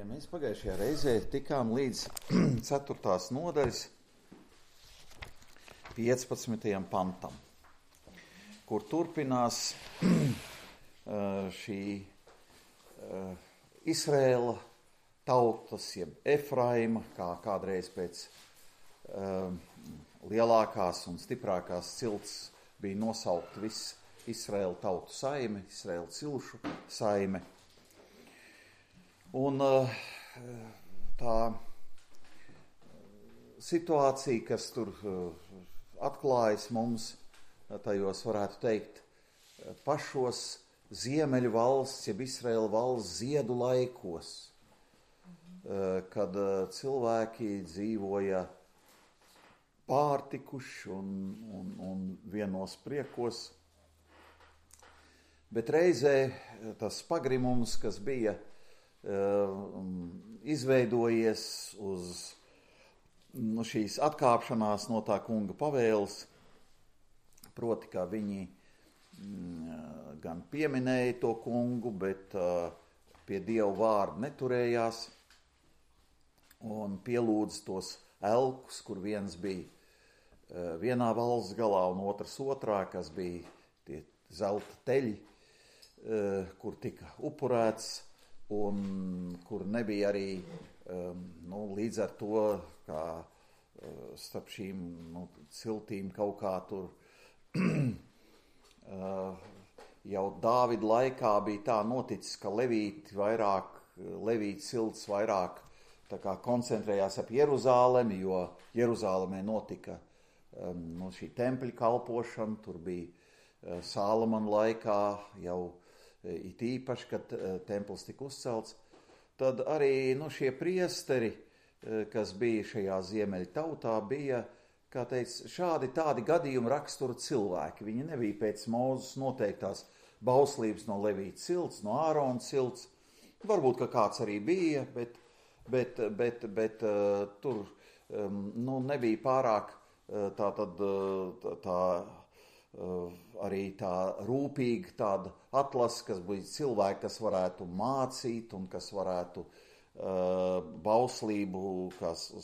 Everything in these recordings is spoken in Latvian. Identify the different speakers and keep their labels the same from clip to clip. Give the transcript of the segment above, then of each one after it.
Speaker 1: Ja mēs pagājušajā reizē tikām līdz 4. nodaļas 15. pantam, kur turpinās šī Izraēla tautas, jeb Efraima, kā kādreiz pēc lielākās un stiprākās cilts bija nosaukt viss Izraēla tautu saime, Izraēla cilšu saime. Un tā situācija, kas tur atklājas mums, tajos varētu teikt, pašos ziemeļu valsts, jeb Izraēla valsts ziedu laikos, kad cilvēki dzīvoja pārtikuši un vienos priekos, bet reizē tas pagrimums, kas bija izveidojies uz šīs atkāpšanās no tā kunga pavēles, proti, kā viņi gan pieminēja to kungu, bet pie Dieva vārda neturējās un pielūdza tos elkus, kur viens bija vienā valsts galā un otrs otrā, kas bija tie zelta teļi, kur tika upurēts, un kur nebija arī līdz ar to, kā starp šīm ciltīm kaut kā tur jau Dāvida laikā bija tā noticis, ka Levīti cilts vairāk tā kā koncentrējās ap Jeruzālemi, jo Jeruzālemē notika šī tempļa kalpošana, tur bija Sālamana laikā jau it īpaši, kad templis tika uzcelts, tad arī šie priesteri, kas bija šajā ziemeļu tautā, bija, kā teica, šādi tādi gadījumi rakstura cilvēki. Viņi nebija pēc Mūzes noteiktās bauslības no Levīta cilts, no Ārona cilts. Varbūt, ka kāds arī bija, bet tur nebija pārāk arī tā rūpīga tāda atlase, kas bija cilvēki, kas varētu mācīt un kas varētu bauslību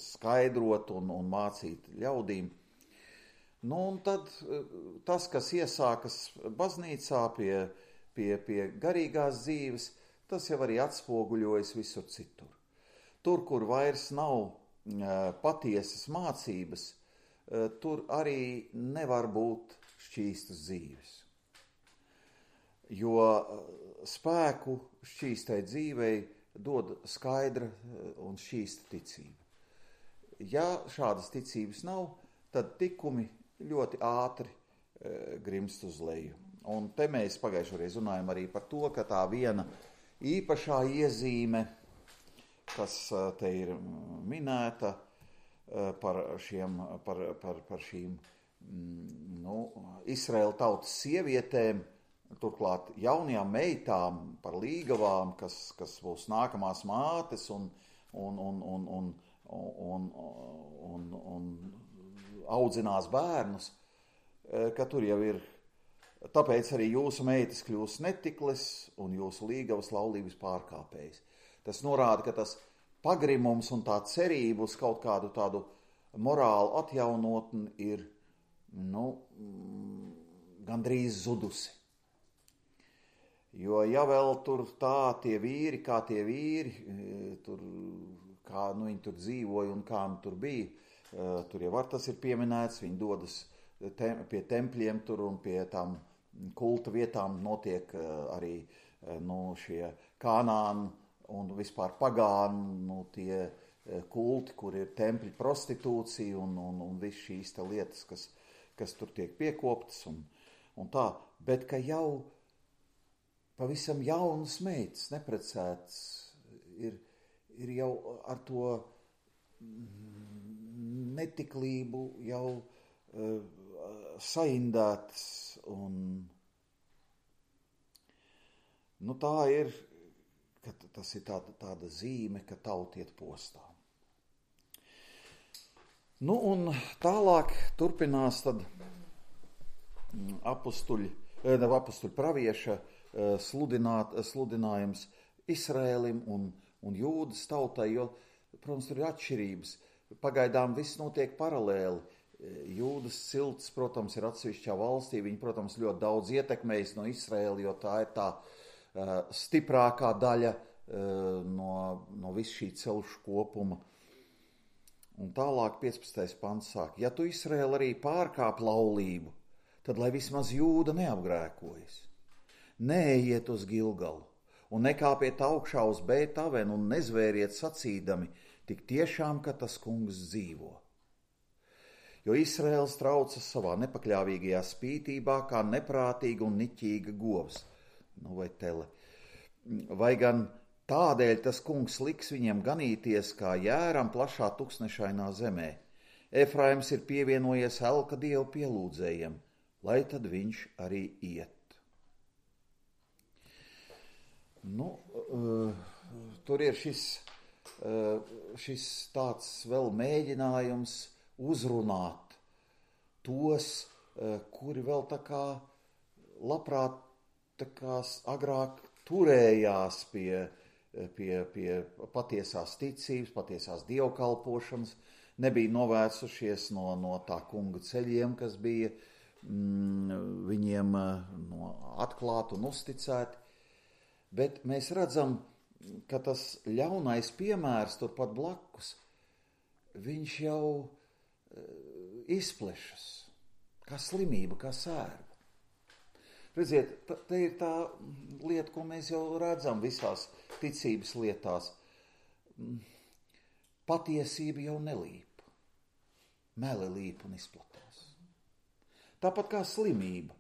Speaker 1: skaidrot un mācīt ļaudīm. Un tad tas, kas iesākas baznīcā pie garīgās dzīves, tas jau arī atspoguļojas visur citur. Tur, kur vairs nav patiesas mācības, tur arī nevar būt šķīstas dzīves. Jo spēku šķīstai dzīvei dod skaidra un šķīsta ticība. Ja šādas ticības nav, tad tikumi ļoti ātri grimst uz leju. Un te mēs pagājušajā runājam arī par to, ka tā viena īpašā iezīme, kas te ir minēta par šīm Izraēla tautas sievietēm, turklāt jaunajām meitām, par līgavām, kas būs nākamās mātes un audzinās bērnus, ka tur jau ir, tāpēc arī jūsu meitas kļūs netikles un jūsu līgavas laulības pārkāpējas. Tas norāda, ka tas pagrimums un tā cerība uz kaut kādu tādu morālu atjaunotni ir gandrīz zudusi. Jo ja vēl tur tie vīri, kā tur, kā viņi tur dzīvoja un kā tur bija, tur jau var tas ir pieminēts, viņi dodas pie tempļiem tur un pie tām kulta vietām notiek arī šie kanāni un vispār pagāni, tie kulti, kur ir tempļi prostitūcija un viss šīs lietas, kas tur tiek piekoptas un tā, bet ka jau pavisam jaunas meitas, neprecētas, ir jau ar to netiklību jau saindētas un tā ir, ka tas ir tāda zīme, ka tauta iet postā. Un tālāk turpinās tad apustuļu pravieša sludinājums Izraēlim un un jūdas tautai, jo, protams, tur ir atšķirības. Pagaidām viss notiek paralēli. Jūdas cilts, protams, ir atsevišķā valstī. Viņi, protams, ļoti daudz ietekmējas no Izraēla, jo tā ir tā stiprākā daļa no visu šī celšu kopuma. Un tālāk 15. pants sāk. Ja tu, Izraēla, arī pārkāp laulību, tad lai vismaz jūda neapgrēkojas. Neejiet uz Gilgalu un nekāpiet augšā uz Bētavenu un nezvēriet sacīdami, tik tiešām, ka tas kungs dzīvo. Jo Izraēls traucas savā nepakļāvīgajā spītībā kā neprātīga un niķīga govs, vai tele. Vai gan tādēļ tas kungs liks viņiem ganīties kā jēram plašā tuksnešainā zemē. Efraims ir pievienojies elka dievu pielūdzējiem, lai tad viņš arī iet. Tur ir šis tāds vēl mēģinājums uzrunāt tos, kuri vēl tā kā labprāt tā kā agrāk turējās pie patiesās ticības, patiesās dievkalpošanas, nebija novērsušies no tā kunga ceļiem, kas bija viņiem atklāti un uzticēti. Bet mēs redzam, ka tas ļaunais piemērs turpat blakus, viņš jau izplešas, kā slimība, kā sērga. Redziet, te ir tā lieta, ko mēs jau redzam visās ticības lietās. Patiesība jau nelīp, meli līp un izplatās. Tāpat kā slimība.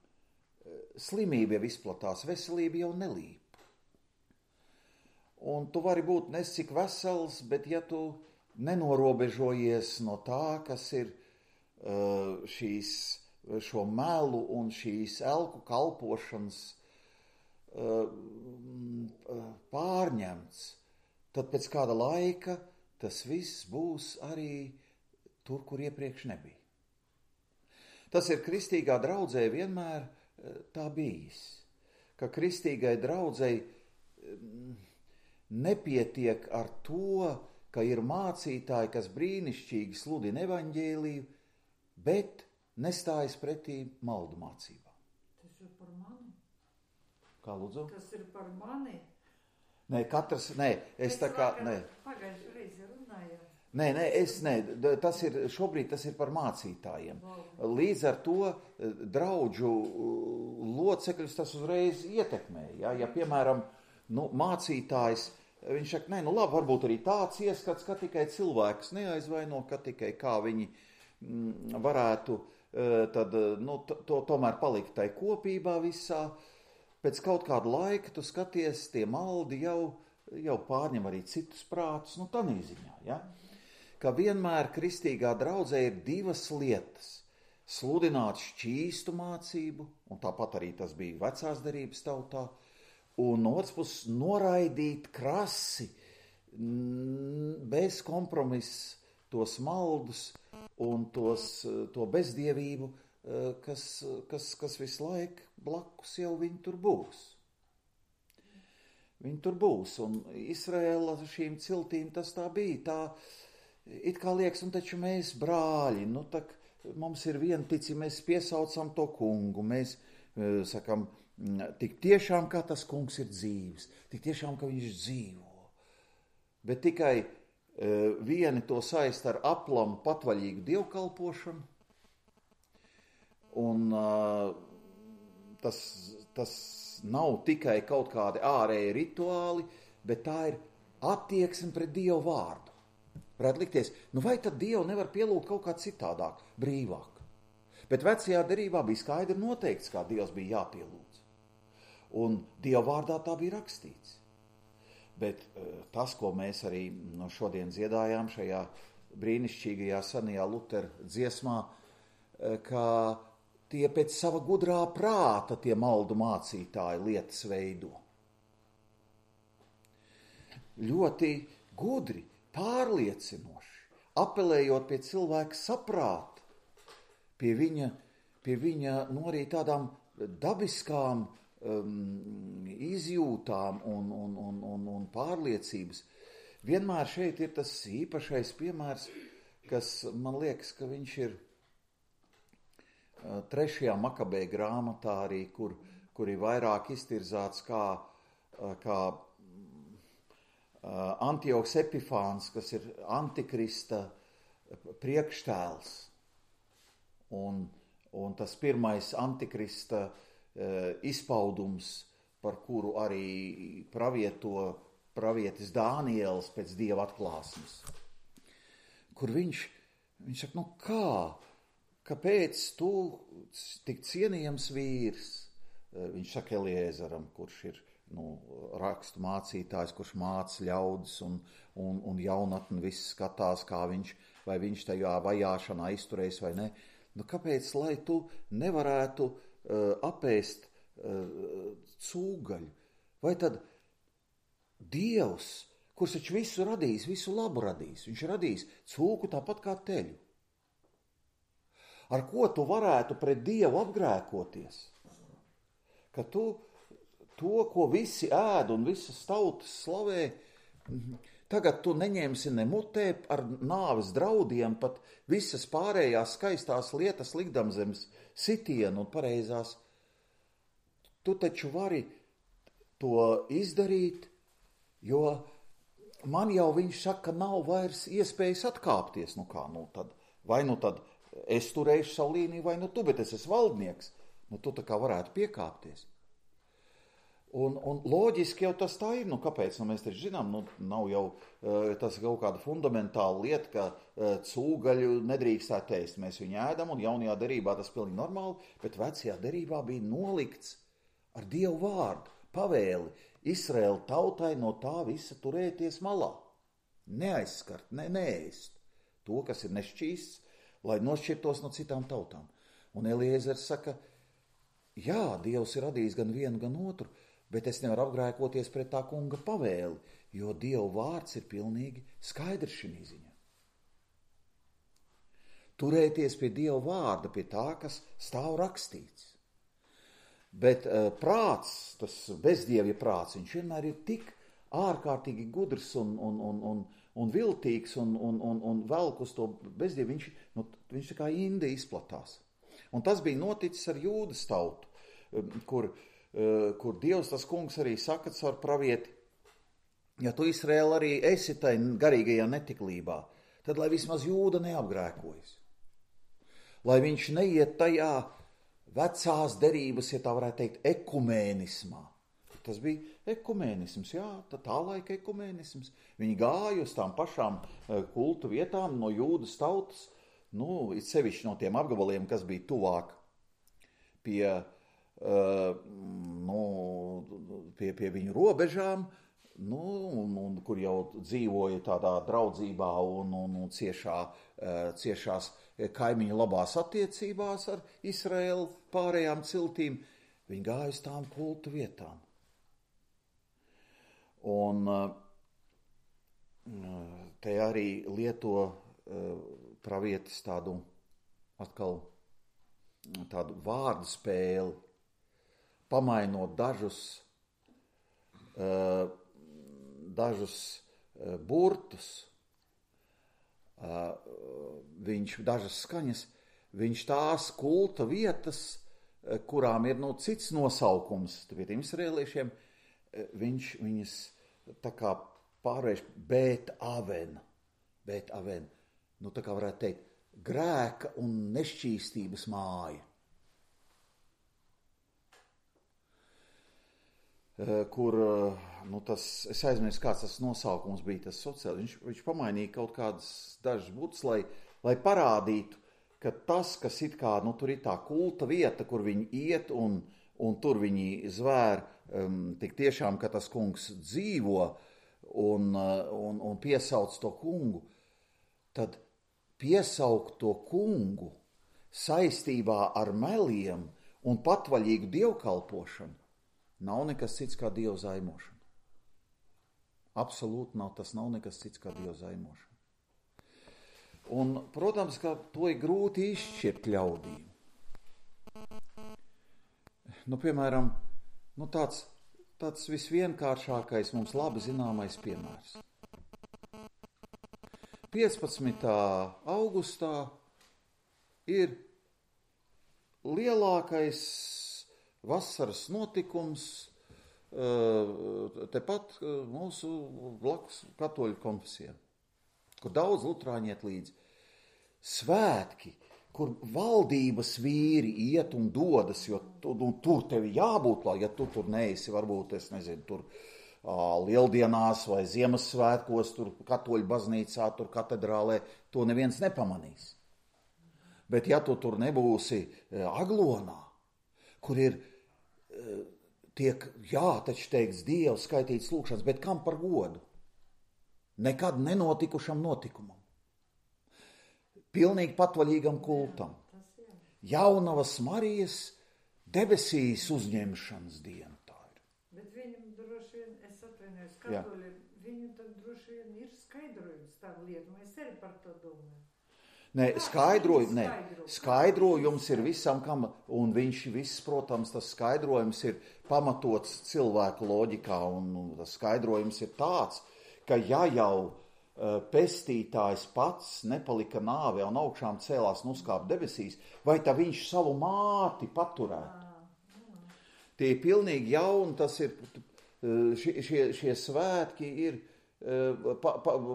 Speaker 1: Slimība jau izplatās, veselība jau nelīp. Un tu vari būt nescik vesels, bet ja tu nenorobežojies no tā, kas ir šo melu un šīs elku kalpošanas pārņemts, tad pēc kāda laika tas viss būs arī tur, kur iepriekš nebija. Tas ir kristīgā draudzē vienmēr tā bijis, ka kristīgai draudzei nepietiek ar to, ka ir mācītāji, kas brīnišķīgi sludina evaņģēliju, bet nestājas pretī maldu mācībām.
Speaker 2: Tas ir par mani.
Speaker 1: Kā lūdzu?
Speaker 2: Tas ir par mani. Pagājušajā reizi runājāt.
Speaker 1: Šobrīd tas ir par mācītājiem. Līdz ar to draudžu locekļus tas uzreiz ietekmē. Ja piemēram, mācītājs, viņš saka, labi, varbūt arī tāds ieskats, ka tikai cilvēks neaizvaino, ka tikai kā viņi varētu tomēr palikt tai kopībā visā. Pēc kaut kāda laika tu skaties, tie maldi jau pārņem arī citus prātus, tādā ziņā, ja? Ka vienmēr kristīgā draudzē ir divas lietas. Sludināt šķīstu mācību, un tāpat arī tas bija vecās derības tautā, un no otras puses noraidīt krasi, bez kompromisa tos maldus un to bezdievību, kas visu laiku blakus jau viņi tur būs. Viņi tur būs, un Izraēla šīm ciltīm tas tā bija, tā it kā liekas, taču mēs brāļi, mums ir viena ticība, mēs piesaucam to kungu, mēs sakam, tik tiešām, kā tas kungs ir dzīves, tik tiešām, ka viņš dzīvo. Bet tikai vieni to saist ar aplamu patvaļīgu dievkalpošanu, un tas nav tikai kaut kādi ārēji rituāli, bet tā ir attieksme pret Dievu vārdu. Varētu likties, vai tad Dievu nevar pielūgt kaut kā citādāk, brīvāk? Bet vecajā derībā bija skaidri noteikts, kā Dievs bija jāpielūdz. Un Dieva vārdā tā bija rakstīts. Bet tas, ko mēs arī šodien dziedājām šajā brīnišķīgajā senajā Lutera dziesmā, ka tie pēc sava gudrā prāta tie maldu mācītāji lietas veido. Ļoti gudri, pārliecinoši, apelējot pie cilvēka saprāta, pie viņa arī tādām dabiskām izjūtām un pārliecības, vienmēr šeit ir tas īpašais piemērs, kas man liekas, ka viņš ir 3. Makabēja grāmatā arī, kur ir vairāk iztirzāts kā Antiohs Epifāns, kas ir Antikrista priekštēls. Un tas pirmais Antikrista izpaudums, par kuru arī pravietis Dāniels pēc Dieva atklāsmes. Kur viņš saka, kāpēc tu tik cienījams vīrs? Viņš saka Eliezeram, kurš ir rakstu mācītājs, kurš māca ļaudis un jaunatni viss skatās, vai viņš tajā vajāšanā izturēs vai ne. Kāpēc, lai tu nevarētu apēst cūgaļu? Vai tad Dievs, kurš taču visu radījis, visu labu radījis, viņš radījis cūku tāpat kā teļu. Ar ko tu varētu pret Dievu apgrēkoties? Ka tu to, ko visi ēd un visas tautas slavē, tagad tu neņemsi ne mutē ar nāves draudiem, pat visas pārējās skaistās lietas likdam zem sitienu un pareizās. Tu taču vari to izdarīt, jo man jau viņš saka, nav vairs iespējas atkāpties. Tad es turēšu savu līniju, vai tu, bet es esmu valdnieks. Tu tā kā varētu piekāpties. Un loģiski jau tas tā ir. Kāpēc? Mēs taču zinām, nav jau tas kaut kāda fundamentāla lieta, ka cūgaļu nedrīkstētu ēst. Mēs viņu ēdam, un jaunajā derībā tas pilnīgi normāli, bet vecajā derībā bija nolikts ar Dievu vārdu, pavēli Izraēla tautai no tā visa turēties malā. Neaizskart, neēst to, kas ir nešķīsts, lai nošķirtos no citām tautām. Un Eliezers saka, jā, Dievs ir radījis gan vienu, gan otru, bet es nevaru apgrēkoties pret tā kunga pavēli, jo Dieva vārds ir pilnīgi skaidrs šī ziņā. Turēties pie Dieva vārda, pie tā, kas stāv rakstīts. Bet prāts, tas bezdievja prāts, viņš vienmēr ir tik ārkārtīgi gudrs un viltīgs un velk uz to bezdievu, viņš tā kā inde izplatās. Un tas bija noticis ar Jūdas tautu, kur Dievs, tas kungs arī saka caur pravieti, ja tu Izraēla arī esi tai garīgajā netiklībā, tad lai vismaz Jūda neapgrēkojas. Lai viņš neiet tajā vecās derības, ja tā varētu teikt, ekumēnismā. Tas bija ekumēnisms, jā, tā laika ekumēnisms. Viņi gāja uz tām pašām kultu vietām no Jūdas tautas, it sevišķi no tiem apgabaliem, kas bija tuvāk pie viņu robežām, kur jau dzīvoja tādā draudzībā un ciešās kaimiņu labās attiecībās ar Izraēlu pārējām ciltīm. Viņi gāja uz tām kultu vietām. Un te arī lieto pravietis tādu vārdu spēli, pamainot dažus burtus, dažas skaņas, viņš tās kulta vietas, kurām ir cits nosaukums, tiem izraēliešiem, viņš viņas tā kā pārvērš Bet Aven. Tā kā varētu teikt, grēka un nešķīstības māja. Kur, es aizmirsu, kāds tas nosaukums bija, tas sociāli. Viņš pamainīja kaut kādas dažas būtas, lai parādītu, ka tas, kas it kā, tur ir tā kulta vieta, kur viņi iet un tur viņi zvēr, tik tiešām, ka tas kungs dzīvo un piesauc to kungu, tad piesaukt to kungu saistībā ar meliem un patvaļīgu dievkalpošanu nav nekas cits kā Dieva zaimošana. Absolūti nav, tas nav nekas cits kā Dieva zaimošana. Un, protams, ka to ir grūti izšķirt ļaudīm. Piemēram, tāds visvienkāršākais mums labi zināmais piemērs. 15. augustā ir lielākais vasaras notikums tepat mūsu blakus katoļu konfesijām, kur daudz luterāņi iet līdzi. Svētki, kur valdības vīri iet un dodas, jo tur tevi jābūt, ja tu tur neesi, varbūt, es nezinu, tur Lieldienās vai Ziemassvētkos, tur katoļu baznīcā, tur katedrālē, to neviens nepamanīs. Bet ja tu tur nebūsi Aglonā, kur ir tiek, taču teikts Dievs, skaitīts lūkšanas, bet kam par godu? Nekad nenotikušam notikumam. Pilnīgi patvaļīgam kultam. Jaunavas Marijas debesīs uzņemšanas diena tā ir.
Speaker 2: Bet viņam droši vien, es atvainojos, katoļi, viņam tad droši vien ir skaidrojums tam lietu, es arī par to domāju.
Speaker 1: Skaidrojums ir visam, kam, un viņš viss, protams, tas skaidrojums ir pamatots cilvēku loģikā, un tas skaidrojums ir tāds, ka ja jau pestītājs pats nepalika nāvē un augšām cēlās un uzkāpa debesīs, vai tā viņš savu māti paturētu? Tie ir pilnīgi jauni, tas ir, šie svētki ir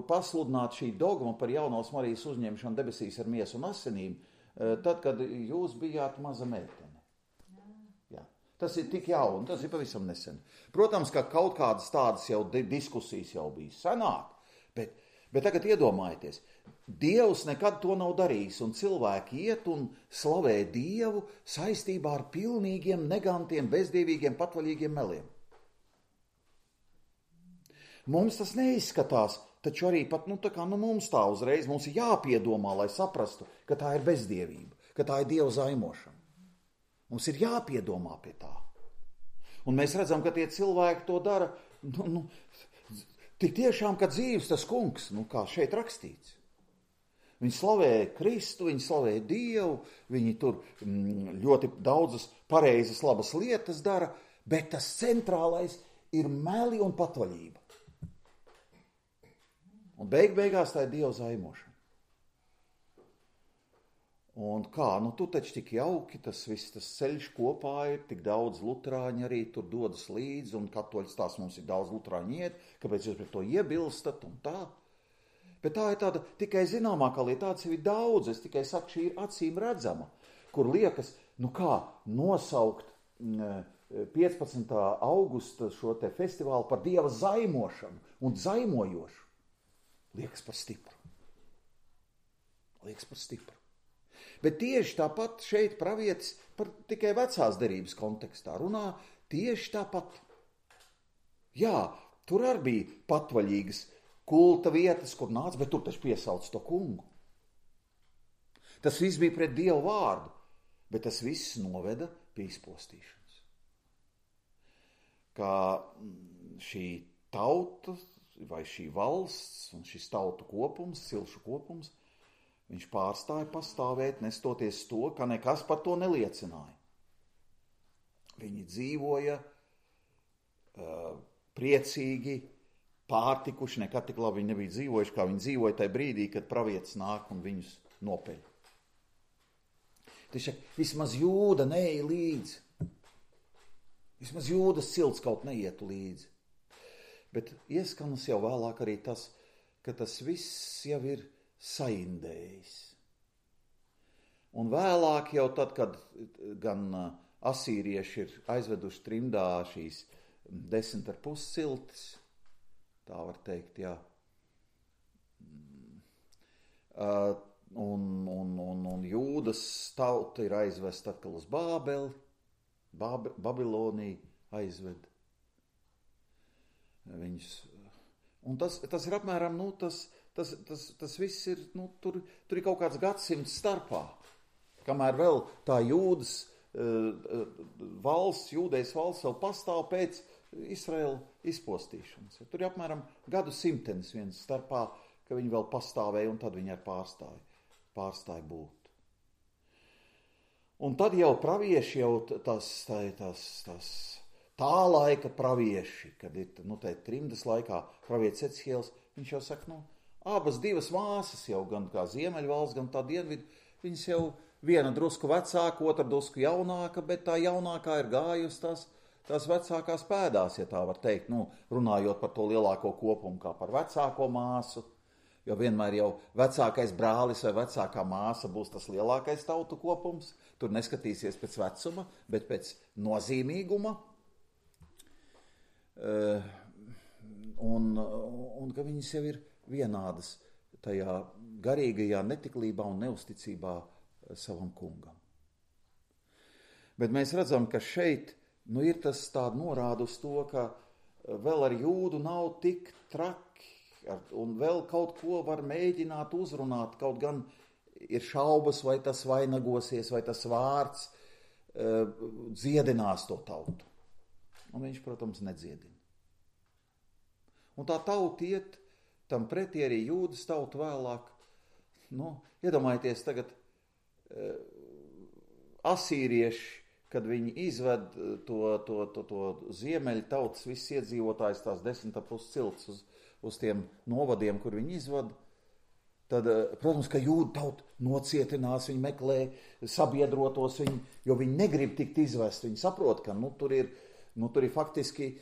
Speaker 1: pasludināt šī dogma par jaunās Marijas uzņemšanu debesīs ar miesu un asinīm, tad, kad jūs bijāt maza meitene. Jā. Tas ir tik jauni, tas ir pavisam nesen. Protams, ka kaut kādas tādas jau diskusijas jau bija senāk, bet tagad iedomājieties, Dievs nekad to nav darījis, un cilvēki iet un slavē Dievu saistībā ar pilnīgiem, negantiem, bezdievīgiem, patvaļīgiem meliem. Mums tas neizskatās, taču arī pat, mums tā uzreiz, mums ir jāpiedomā, lai saprastu, ka tā ir bezdievība, ka tā ir Dieva zaimošana. Mums ir jāpiedomā pie tā. Un mēs redzam, ka tie cilvēki to dara, tik tiešām, ka dzīves tas kungs, kā šeit rakstīts. Viņi slavē Kristu, viņi slavē Dievu, viņi tur ļoti daudzas pareizas, labas lietas dara, bet tas centrālais ir meli un patvaļība. Un beigās tā ir Dieva zaimošana. Un kā, tu taču tik jauki, tas viss, tas ceļš kopā ir, tik daudz luterāņi arī tur dodas līdzi, un katoļu tās mums ir daudz luterāņi iet, kāpēc jūs pret to iebilstat un tā. Bet tā ir tāda tikai zināmākā lieta, tāds ir daudz, es tikai saku, šī ir acīm redzama, kur liekas, nosaukt 15. augusta šo te festivālu par Dieva zaimošanu un zaimojošu. Liekas par stipru. Bet tieši tāpat šeit pravietis par tikai vecās derības kontekstā runā tieši tāpat. Jā, tur arī bija patvaļīgas kulta vietas, kur nāca, bet tur taču piesauc to kungu. Tas viss bija pret Dievu vārdu, bet tas viss noveda pie izpostīšanas. Kā šī tauta vai šī valsts un šis tautu kopums, cilšu kopums, viņš pārstāja pastāvēt, nestoties to, ka nekas par to neliecināja. Viņi dzīvoja priecīgi, pārtikuši, nekad tik labi viņi nebija dzīvojuši, kā viņi dzīvoja tajā brīdī, kad pravietis nāk un viņus nopeļ. Taču vismaz Jūda neeja līdzi. Vismaz Jūdas cilts kaut neietu līdzi. Bet ieskanas jau vēlāk arī tas, ka tas viss jau ir saindējis. Un vēlāk jau tad, kad gan asīrieši ir aizveduši trimdā šīs 10,5 ciltis, tā var teikt, jā. Un Jūdas tauta ir aizvesta atkal uz Bābeli, Babiloniju aizved. Viņus. Un tas ir apmēram, tas viss ir, tur ir kaut kāds gadsimts starpā, kamēr vēl tā Jūdas valsts, Jūdejas valsts vēl pastāv pēc Izraēla izpostīšanas. Tur ir apmēram gadu simtenis viens starpā, ka viņi vēl pastāvēja un tad viņi arī pārstāja būt. Un tad jau pravieši, jau tā laika pravieši, kad ir, trimdas laikā pravietis Ecihēls, viņš jau saka, abas divas māsas jau, gan kā Ziemeļvalsts, gan tā dienvidu, viņas jau viena drusku vecāka, otra drusku jaunāka, bet tā jaunākā ir gājusi tās vecākās pēdās, ja tā var teikt, runājot par to lielāko kopumu kā par vecāko māsu, jo vienmēr jau vecākais brālis vai vecākā māsa būs tas lielākais tautu kopums, tur neskatīsies pēc vecuma, bet pēc nozīmīguma, un ka viņas jau ir vienādas tajā garīgajā netiklībā un neusticībā savam kungam. Bet mēs redzam, ka šeit ir tas tāda norāda uz to, ka vēl ar Jūdu nav tik traki, un vēl kaut ko var mēģināt uzrunāt, kaut gan ir šaubas, vai tas vainagosies, vai tas vārds dziedinās to tautu. Un viņš, protams, nedziedina. Un tā tauta iet tam pretī arī Jūdas tauta vēlāk. Iedomājieties tagad asīrieši, kad viņi izved to ziemeļu tautas, visus iedzīvotājus, tās 10,5 cilts uz tiem novadiem, kur viņi izved, tad, protams, ka Jūda tauta nocietinās, viņi meklē sabiedrotos, jo viņi negrib tikt izvest. Viņi saprot, ka tur ir faktiski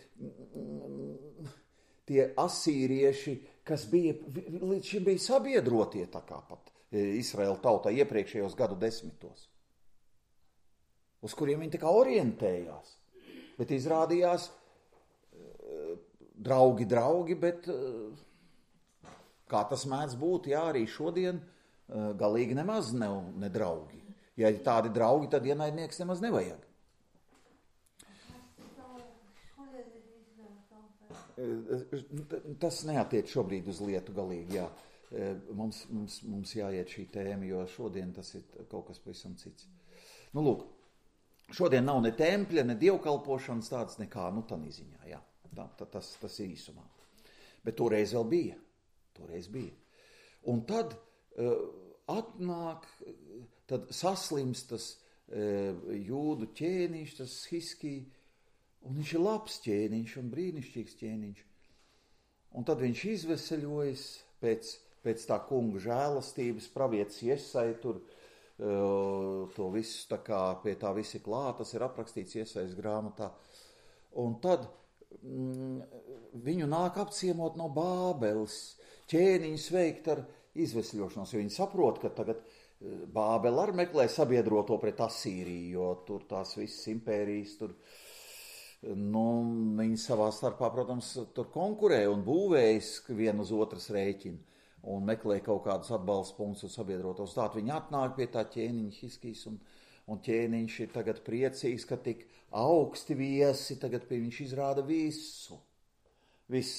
Speaker 1: tie asīrieši, kas līdz šim bija sabiedrotie tā kā pat Izraēla tautā iepriekšējos gadu desmitos, uz kuriem viņi tā kā orientējās. Bet izrādījās draugi, bet kā tas mēdz būt, arī šodien galīgi nemaz ne draugi. Ja ir tādi draugi, tad ienaidnieks nemaz nevajag. Tas neatiec šobrīd uz lietu galīgi, jā. Mums jāiet šī tēma, jo šodien tas ir kaut kas pavisam cits. Lūk, šodien nav ne tempļa, ne dievkalpošanas tāds nekā, tādā ziņā, jā. Tas ir īsumā. Bet toreiz vēl bija. Un tad tad saslimst tas Jūdu ķēniņš, tas Hiskija, un viņš ir labs ķēniņš un brīnišķīgs ķēniņš. Un tad viņš izveseļojas pēc tā kunga žēlastības, pravietis Jesai tur to visu, tā kā pie tā visi klāt, tas ir aprakstīts Jesais grāmatā. Un tad viņu nāk apciemot no Bābeles, ķēniņus veikt ar izvesļošanos, jo viņi saprot, ka tagad Bābele arī meklē sabiedroto pret Asīriju, jo tur tās visas impērijas tur, viņi savā starpā, protams, tur konkurē un būvējas vienu uz otras rēķinu un meklē kaut kādus atbalsta punktus un sabiedrotos. Tātad viņi atnāk pie tā ķēniņa Hiskijas un ķēniņš ir tagad priecīgs, ka tik augsti viesi, tagad pie viņš izrāda visus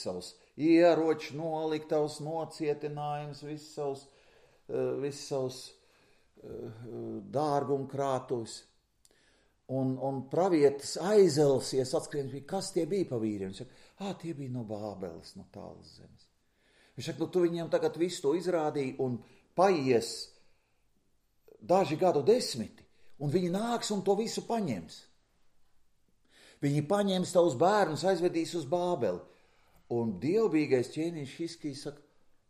Speaker 1: savus ieroči, noliktavus, nocietinājumus, visus savus dārgumkrātuvis. Un pravietis aizelsies, atskrien, kas tie bija pa vīriem. Viņš saka, tie bija no Bābeles, no tālas zemes. Viņš saka, tu viņiem tagad visu to izrādīji un paies daži gadu desmiti, un viņi nāks un to visu paņems. Viņi paņems tavus bērnus, aizvedīs uz Bābeli. Un dievbijīgais ķēniņš Hiskijs saka,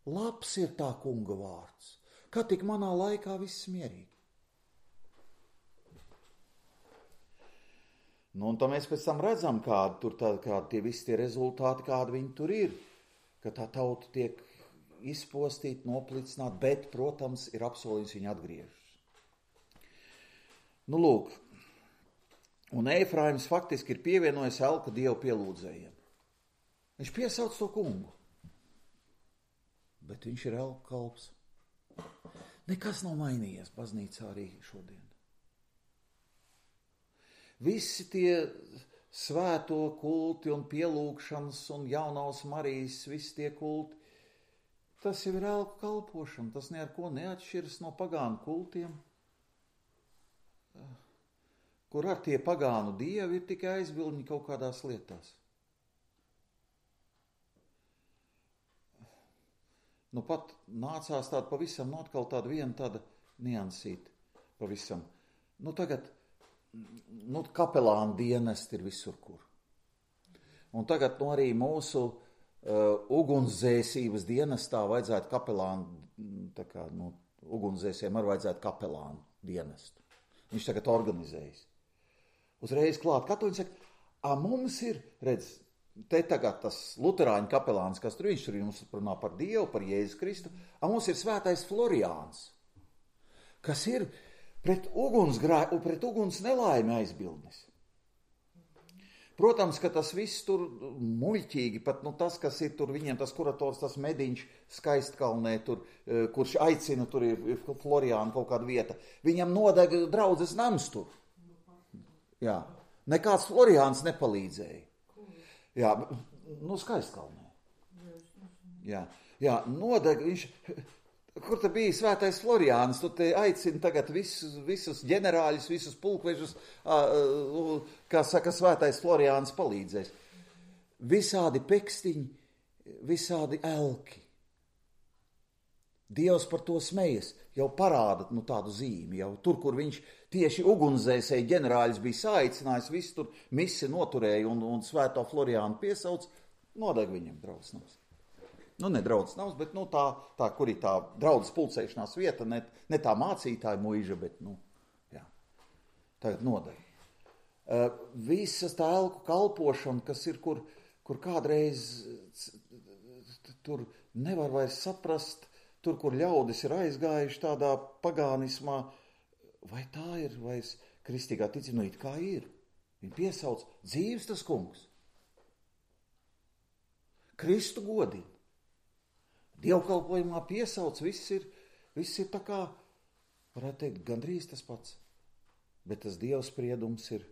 Speaker 1: labs ir tā kunga vārds, kā tik manā laikā viss mierīgi. Un tā mēs pēc tam redzam, kādi tie visi tie rezultāti, kādi viņi tur ir, ka tā tauta tiek izpostīta, noplicināta, bet, protams, ir apsolījums viņu atgriežas. Lūk, un Efraims faktiski ir pievienojis Elka dievu pielūdzējiem. Viņš piesauc to kungu, bet viņš ir Elka kalps. Nekas nav mainījies baznīcā arī šodien. Visi tie svēto kulti un pielūgšanas un jaunās Marijas, visi tie kulti, tas jau ir Elku kalpošana, tas ne ar ko neatšķiras no pagānu kultiem, kur ar tie pagānu dievi ir tikai aizbildņi kaut kādās lietās. Pat nācās tāda pavisam atkal tāda viena tāda niansīta pavisam. Tagad kapelāna dienesti ir visur kur. Un tagad arī mūsu ugunsdzēsības dienestā vajadzētu kapelānu, tā kā, ugunsdzēsiem arī vajadzētu kapelānu dienestu. Viņš tagad organizējas. Uzreiz klāt katoļi saka, mums ir, redz, te tagad tas luterāņu kapelāns, kas tur viņš tur jums runā par Dievu, par Jēzus Kristu, mums ir svētais Floriāns, kas ir pret uguns nelaimi aizbildnis. Protams, ka tas viss tur muļķīgi, pat tas, kas ir tur viņiem, tas kurators, tas mediņš Skaistkalnē, tur, kurš aicina, tur ir Floriāna kaut kāda vieta, viņam nodeg draudzes nams tur. Jā, nekāds Floriāns nepalīdzēja. Jā, Skaistkalnē. Jā, nodeg viņš... Kur te bija svētais Floriāns, tu te aicini tagad visus ģenerāļus, visus pulkvežus, kā saka, svētais Floriāns palīdzēs. Visādi pekstiņi, visādi elki. Dievs par to smejas, jau parāda tādu zīmi, jau tur, kur viņš tieši ugunsdzēsēji ģenerāļus bija saaicinājis, viss tur misi noturēja un svēto Floriānu piesauc, nodeg viņam draudzes. Ne draudzes nams, bet tā, kur ir tā draudzes pulcēšanās vieta, ne tā mācītāja muiža, bet, jā, tagad nodeg. Visas tā elku kalpošana, kas ir, kur kādreiz tur nevar vairs saprast, tur, kur ļaudis ir aizgājuši tādā pagānismā, vai tā ir vairs kristīgā ticība, it kā ir. Viņi piesauc dzīves tas kungs. Kristu godina. Dievkalpojumā piesauc, viss ir tā kā, varētu teikt, gandrīz tas pats. Bet tas Dieva spriedums ir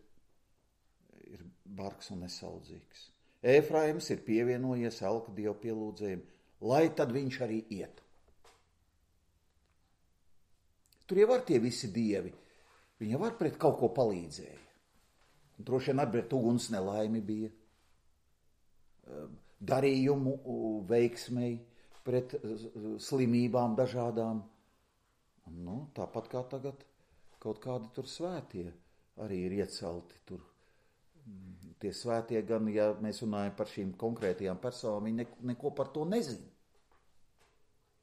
Speaker 1: bargs un nesaudzīgs. Efraims ir pievienojies elka Dieva pielūdzējiem, lai tad viņš arī iet. Tur jau var tie visi dievi, viņi jau var pret kaut ko palīdzēja. Droši vien arī pret uguns nelaimi bija, darījumu veiksmei, pret slimībām dažādām. Tāpat kā tagad kaut kādi tur svētie arī ir iecelti tur. Tie svētie gan, ja mēs runājam par šīm konkrētajām personām, viņi neko par to nezina.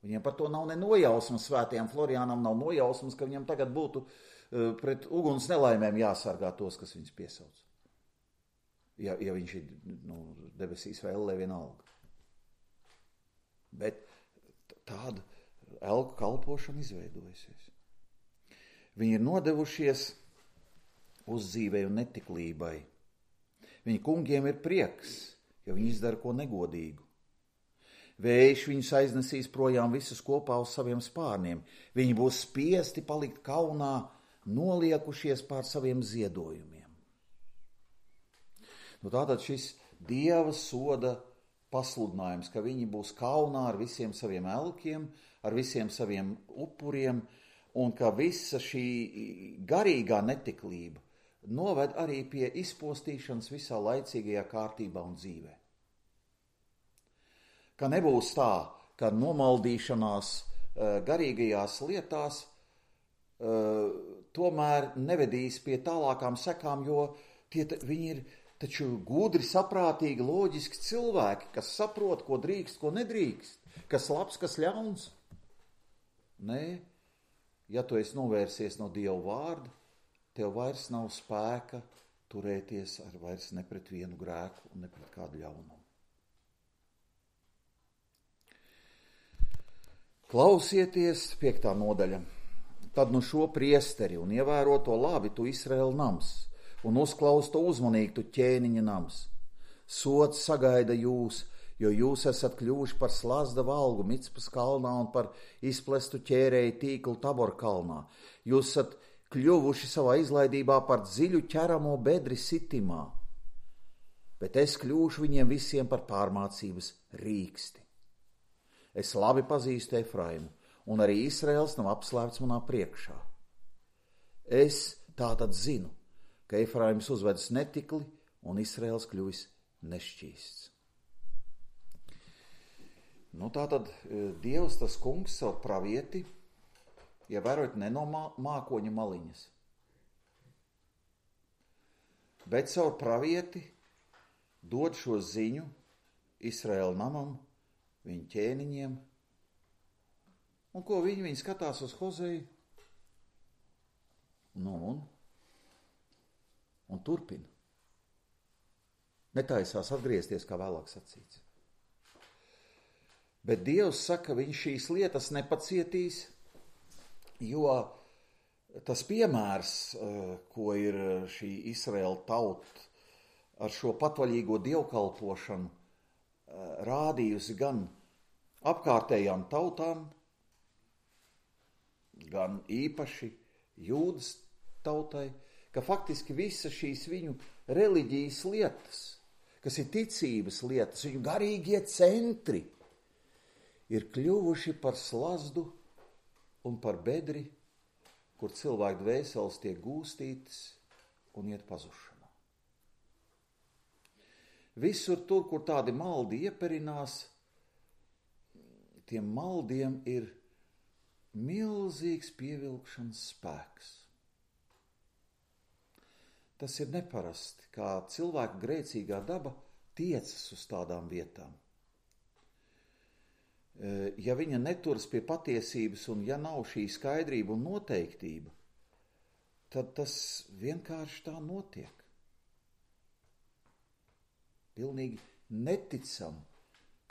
Speaker 1: Viņiem par to nav ne nojausmas, svētajām Floriānam nav nojausmas, ka viņam tagad būtu pret uguns nelaimēm jāsargā tos, kas viņus piesauc. Ja viņš ir debesīs vai ellē vienalga. Bet tāda elku kalpošana izveidojusies. Viņi ir nodevušies uzdzīvei un netiklībai. Viņu kungiem ir prieks, jo viņi izdara ko negodīgu. Vējš viņus aiznesīs projām visus kopā uz saviem spārniem. Viņi būs spiesti palikt kaunā, noliekušies pār saviem ziedojumiem. Tātad šis Dieva soda pasludinājums, ka viņi būs kaunā ar visiem saviem elkiem, ar visiem saviem upuriem, un ka visa šī garīgā netiklība noved arī pie izpostīšanas visā laicīgajā kārtībā un dzīvē. Ka nebūs tā, ka nomaldīšanās garīgajās lietās tomēr nevedīs pie tālākām sekām, jo viņi ir taču gudri, saprātīgi, loģiski cilvēki, kas saprot, ko drīkst, ko nedrīkst, kas labs, kas ļauns. Nē, ja tu esi novērsies no Dieva vārda, tev vairs nav spēka turēties ar vairs ne pret vienu grēku un ne pret kādu ļaunumu. Klausieties, 5. nodaļa. Tad šo priesteri un ievēro to labi, tu Izraēla nams, un uzklaus to uzmanīgi, tu ķēniņa nams. Sods sagaida jūs, jo jūs esat kļuvuši par slazda valgu Micpas kalnā un par izplestu ķērēju tīklu Tabor kalnā. Jūs esat kļuvuši savā izlaidībā par dziļu ķeramo bedri sitimā, bet es kļūšu viņiem visiem par pārmācības rīksti. Es labi pazīstu Efraimu, un arī Izraels nav apslēpts manā priekšā. Es tātad zinu, ka Efraims uzvedas netikli un Izraels kļuvis nešķīsts. Tātad Dievs, tas kungs, savu pravieti, ievērojot ne no mākoņa maliņas, bet savu pravieti dod šo ziņu Izraēla namam, viņa ķēniņiem. Un ko viņi skatās uz Hozeju? Un turpina. Netaisās atgriezties, kā vēlāk sacīts. Bet Dievs saka, viņš šīs lietas nepacietīs, jo tas piemērs, ko ir šī Izraēla tauta ar šo patvaļīgo dievkalpošanu rādījusi gan apkārtējām tautām, gan īpaši Jūdas tautai, ka faktiski visas šīs viņu reliģijas lietas, kas ir ticības lietas, viņu garīgie centri, ir kļuvuši par slazdu un par bedri, kur cilvēku dvēseles tiek gūstītas un iet pazušanā. Visur tur, kur tādi maldi ieperinās, tiem maldiem ir milzīgs pievilkšanas spēks. Tas ir neparasti, kā cilvēka grēcīgā daba tiecas uz tādām vietām. Ja viņa neturas pie patiesības un ja nav šī skaidrība un noteiktība, tad tas vienkārši tā notiek. Pilnīgi neticam,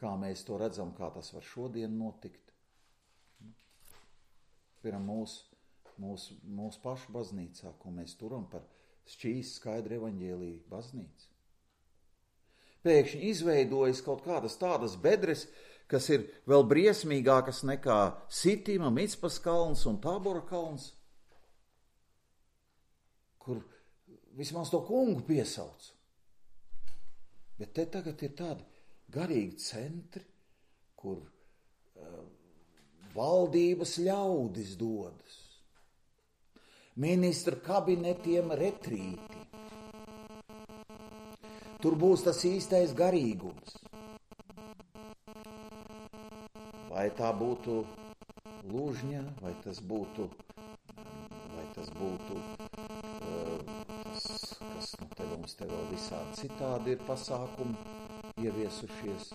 Speaker 1: kā mēs to redzam, kā tas var šodien notikt. Piemēram, mūsu pašu baznīcā, ko mēs turam par šķīs skaidru evaņģēliju baznīcu. Pēkšņi izveidojas kaut kādas tādas bedres, kas ir vēl briesmīgākas nekā Sitima, Micpas kalns un Tābora kalns, kur vismaz to kungu piesauc. Bet te tagad ir tādi garīgi centri, kur valdības ļaudis dodas, ministra kabinetiem retrīti. Tur būs tas īstais garīgums. Vai tā būtu Lūžņa, vai tas būtu tas, kas te mums te vēl visādi citādi ir pasākumi ieviesušies.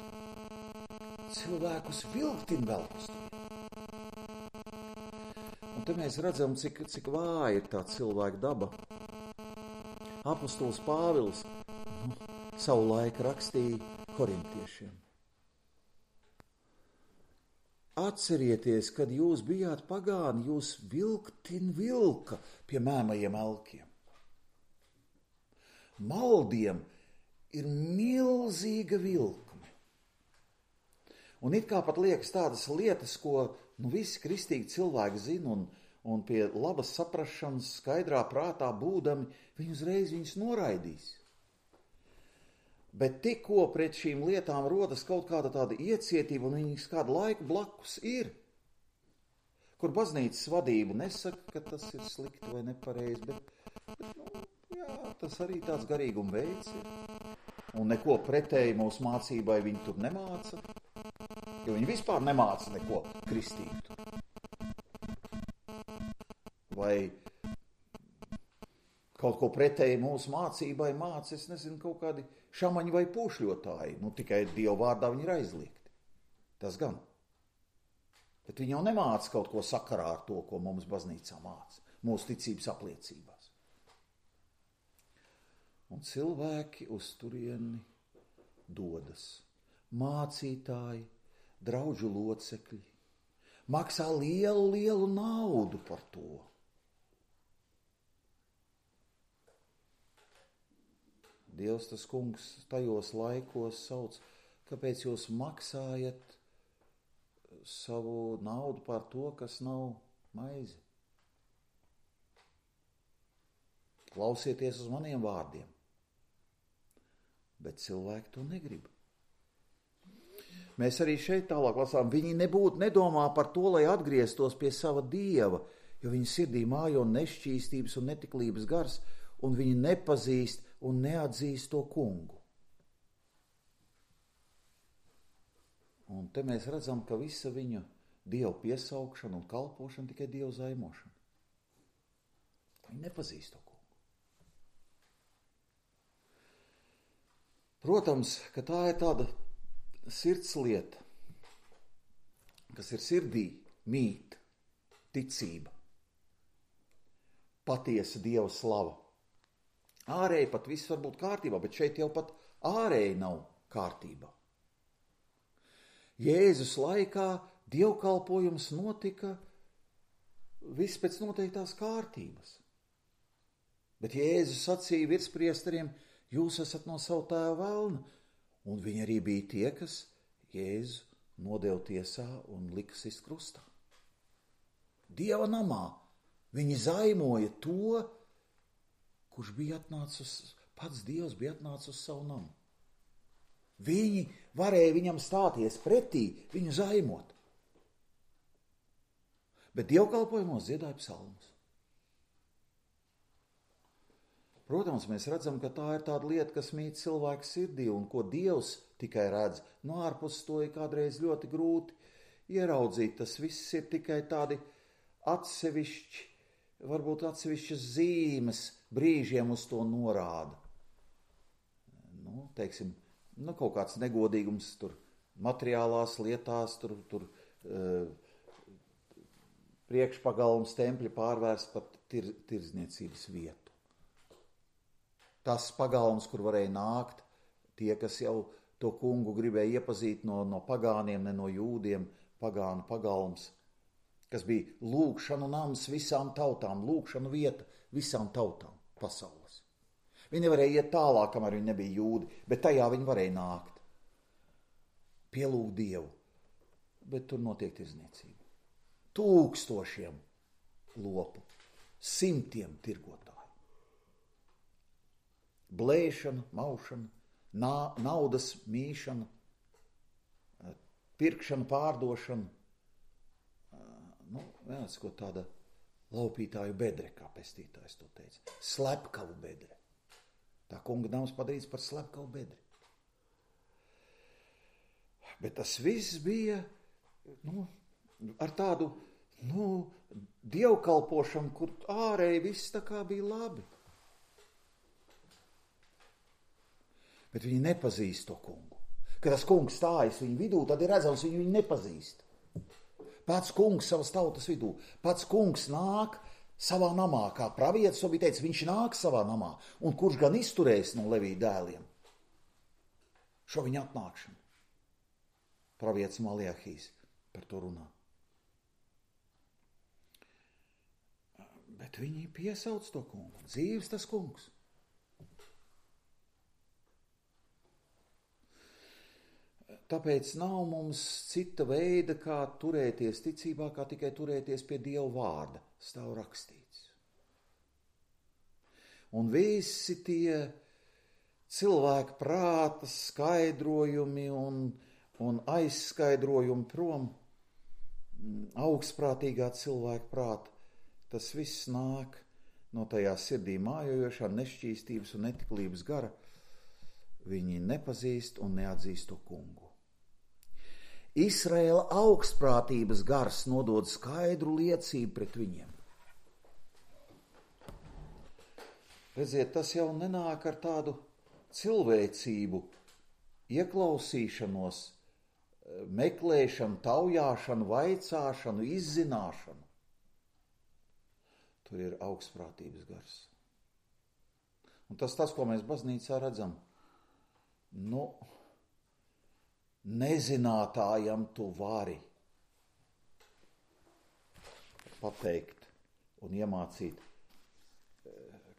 Speaker 1: Cilvēkus vilktin vēl uz to. Un te mēs redzam, cik vāja ir tā cilvēka daba. Apostols Pāvils savu laiku rakstīja korintiešiem. Atcerieties, kad jūs bijāt pagāni, jūs vilka pie mēmajiem elkiem. Maldiem ir milzīga vilkme. Un it kā pat liekas tādas lietas, ko visi kristīgi cilvēki zina un pie labas saprašanas skaidrā prātā būdami, viņi uzreiz viņus noraidīs. Bet tikko pret šīm lietām rodas kaut kāda tāda iecietība un viņas kādu laiku blakus ir, kur baznīcas vadība nesaka, ka tas ir slikti vai nepareizi, bet tas arī tāds garīguma veids ir. Un neko pretēji mūsu mācībai viņi tur nemāca, jo viņi vispār nemāca neko kristītu. Vai kaut ko pretēji mūsu mācībai māca, es nezinu, kaut kādi šamaņi vai pūšļotāji, tikai Dieva vārdā viņi ir aizliegti. Tas gan. Bet viņi jau nemāca kaut ko sakarā ar to, ko mums baznīcā māca, mūsu ticības apliecībās. Un cilvēki uz turieni dodas. Mācītāji, draudžu locekļi, maksā lielu naudu par to. Dievs tas kungs tajos laikos sauc, kāpēc jūs maksājat savu naudu par to, kas nav maize. Klausieties uz maniem vārdiem. Bet cilvēki to negrib. Mēs arī šeit tālāk lasām, viņi nedomā par to, lai atgrieztos pie sava Dieva, jo viņa sirdī mājo nešķīstības un netiklības gars, un viņi nepazīst un neatzīst to kungu. Un te mēs redzam, ka visa viņa Dievu piesaukšana un kalpošana tikai Dievu zaimošana. Viņi nepazīst to kungu. Protams, ka tā ir tāda sirds lieta, kas ir sirdī, mīt, ticība, patiesa Dieva slava. Ārēji pat viss var būt kārtībā, bet šeit jau pat ārēji nav kārtībā. Jēzus laikā dievkalpojums notika viss pēc noteiktās kārtības. Bet Jēzus sacīja virspriesteriem, jūs esat no savu tēva velna, un viņi arī bija tie, kas Jēzu nodeva tiesā un lika sist krustā. Dieva namā viņi zaimoja to, kurš bija atnācis, pats Dievs bija atnācis uz savu namu. Viņi varēja viņam stāties pretī, viņu zaimot. Bet dievkalpojumos dziedāja psalmus. Protams, mēs redzam, ka tā ir tāda lieta, kas mīt cilvēku sirdī un ko Dievs tikai redz. No ārpus to ir kādreiz ļoti grūti ieraudzīt. Tas viss ir tikai tādi atsevišķi, varbūt atsevišķas zīmes brīžiem uz to norāda. Teiksim, kaut kāds negodīgums tur materiālās lietās, tur priekšpagalms tempļa pārvērst pat tirdzniecības vietu. Tas pagalms, kur varēja nākt, tie, kas jau to kungu gribēja iepazīt no pagāniem, ne no jūdiem, pagānu pagalms, kas bija lūgšanu nams visām tautām, lūgšanu vieta visām tautām pasaules. Viņi nevarēja iet tālāk, kamēr viņi nebija jūdi, bet tajā viņi varēja nākt. Pielūgt Dievu, bet tur notiek tirdzniecība. Tūkstošiem lopu, simtiem tirgotāju. Blēšana, maušana, naudas mīšana, pirkšana, pārdošana. Vienāds, ko tāda laupītāju bedre, kā pestītājs to teica. Slepkavu bedre. Tā kunga nams padarīts par slepkavu bedri. Bet tas viss bija ar tādu dievkalpošanu, kur ārēji viss tā kā bija labi. Bet viņi nepazīst to kungu. Kad tas kungs stājas viņu vidū, tad ir redzams, viņu nepazīst. Pats kungs savas tautas vidū, pats kungs nāk savā namā, kā pravietis to bija teicis, viņš nāk savā namā, un kurš gan izturēs no Levija dēliem šo viņa atnākšanu. Pravietis Maliahijs par to runā. Bet viņi piesauc to kungu, dzīves tas kungs. Tāpēc nav mums cita veida, kā turēties ticībā, kā tikai turēties pie Dieva vārda, stāv rakstīts. Un visi tie cilvēku prāta skaidrojumi un aizskaidrojumi prom, augstprātīgā cilvēka prāta, tas viss nāk no tajā sirdī mājojošā nešķīstības un netiklības gara. Viņi nepazīst un neatzīst to kungu. Izraēla augstprātības gars nodod skaidru liecību pret viņiem. Redziet, tas jau nenāk ar tādu cilvēcību, ieklausīšanos, meklēšanu, taujāšanu, vaicāšanu, izzināšanu. Tur ir augstprātības gars. Un tas, ko mēs baznīcā redzam, nezinātājam tu vari pateikt un iemācīt,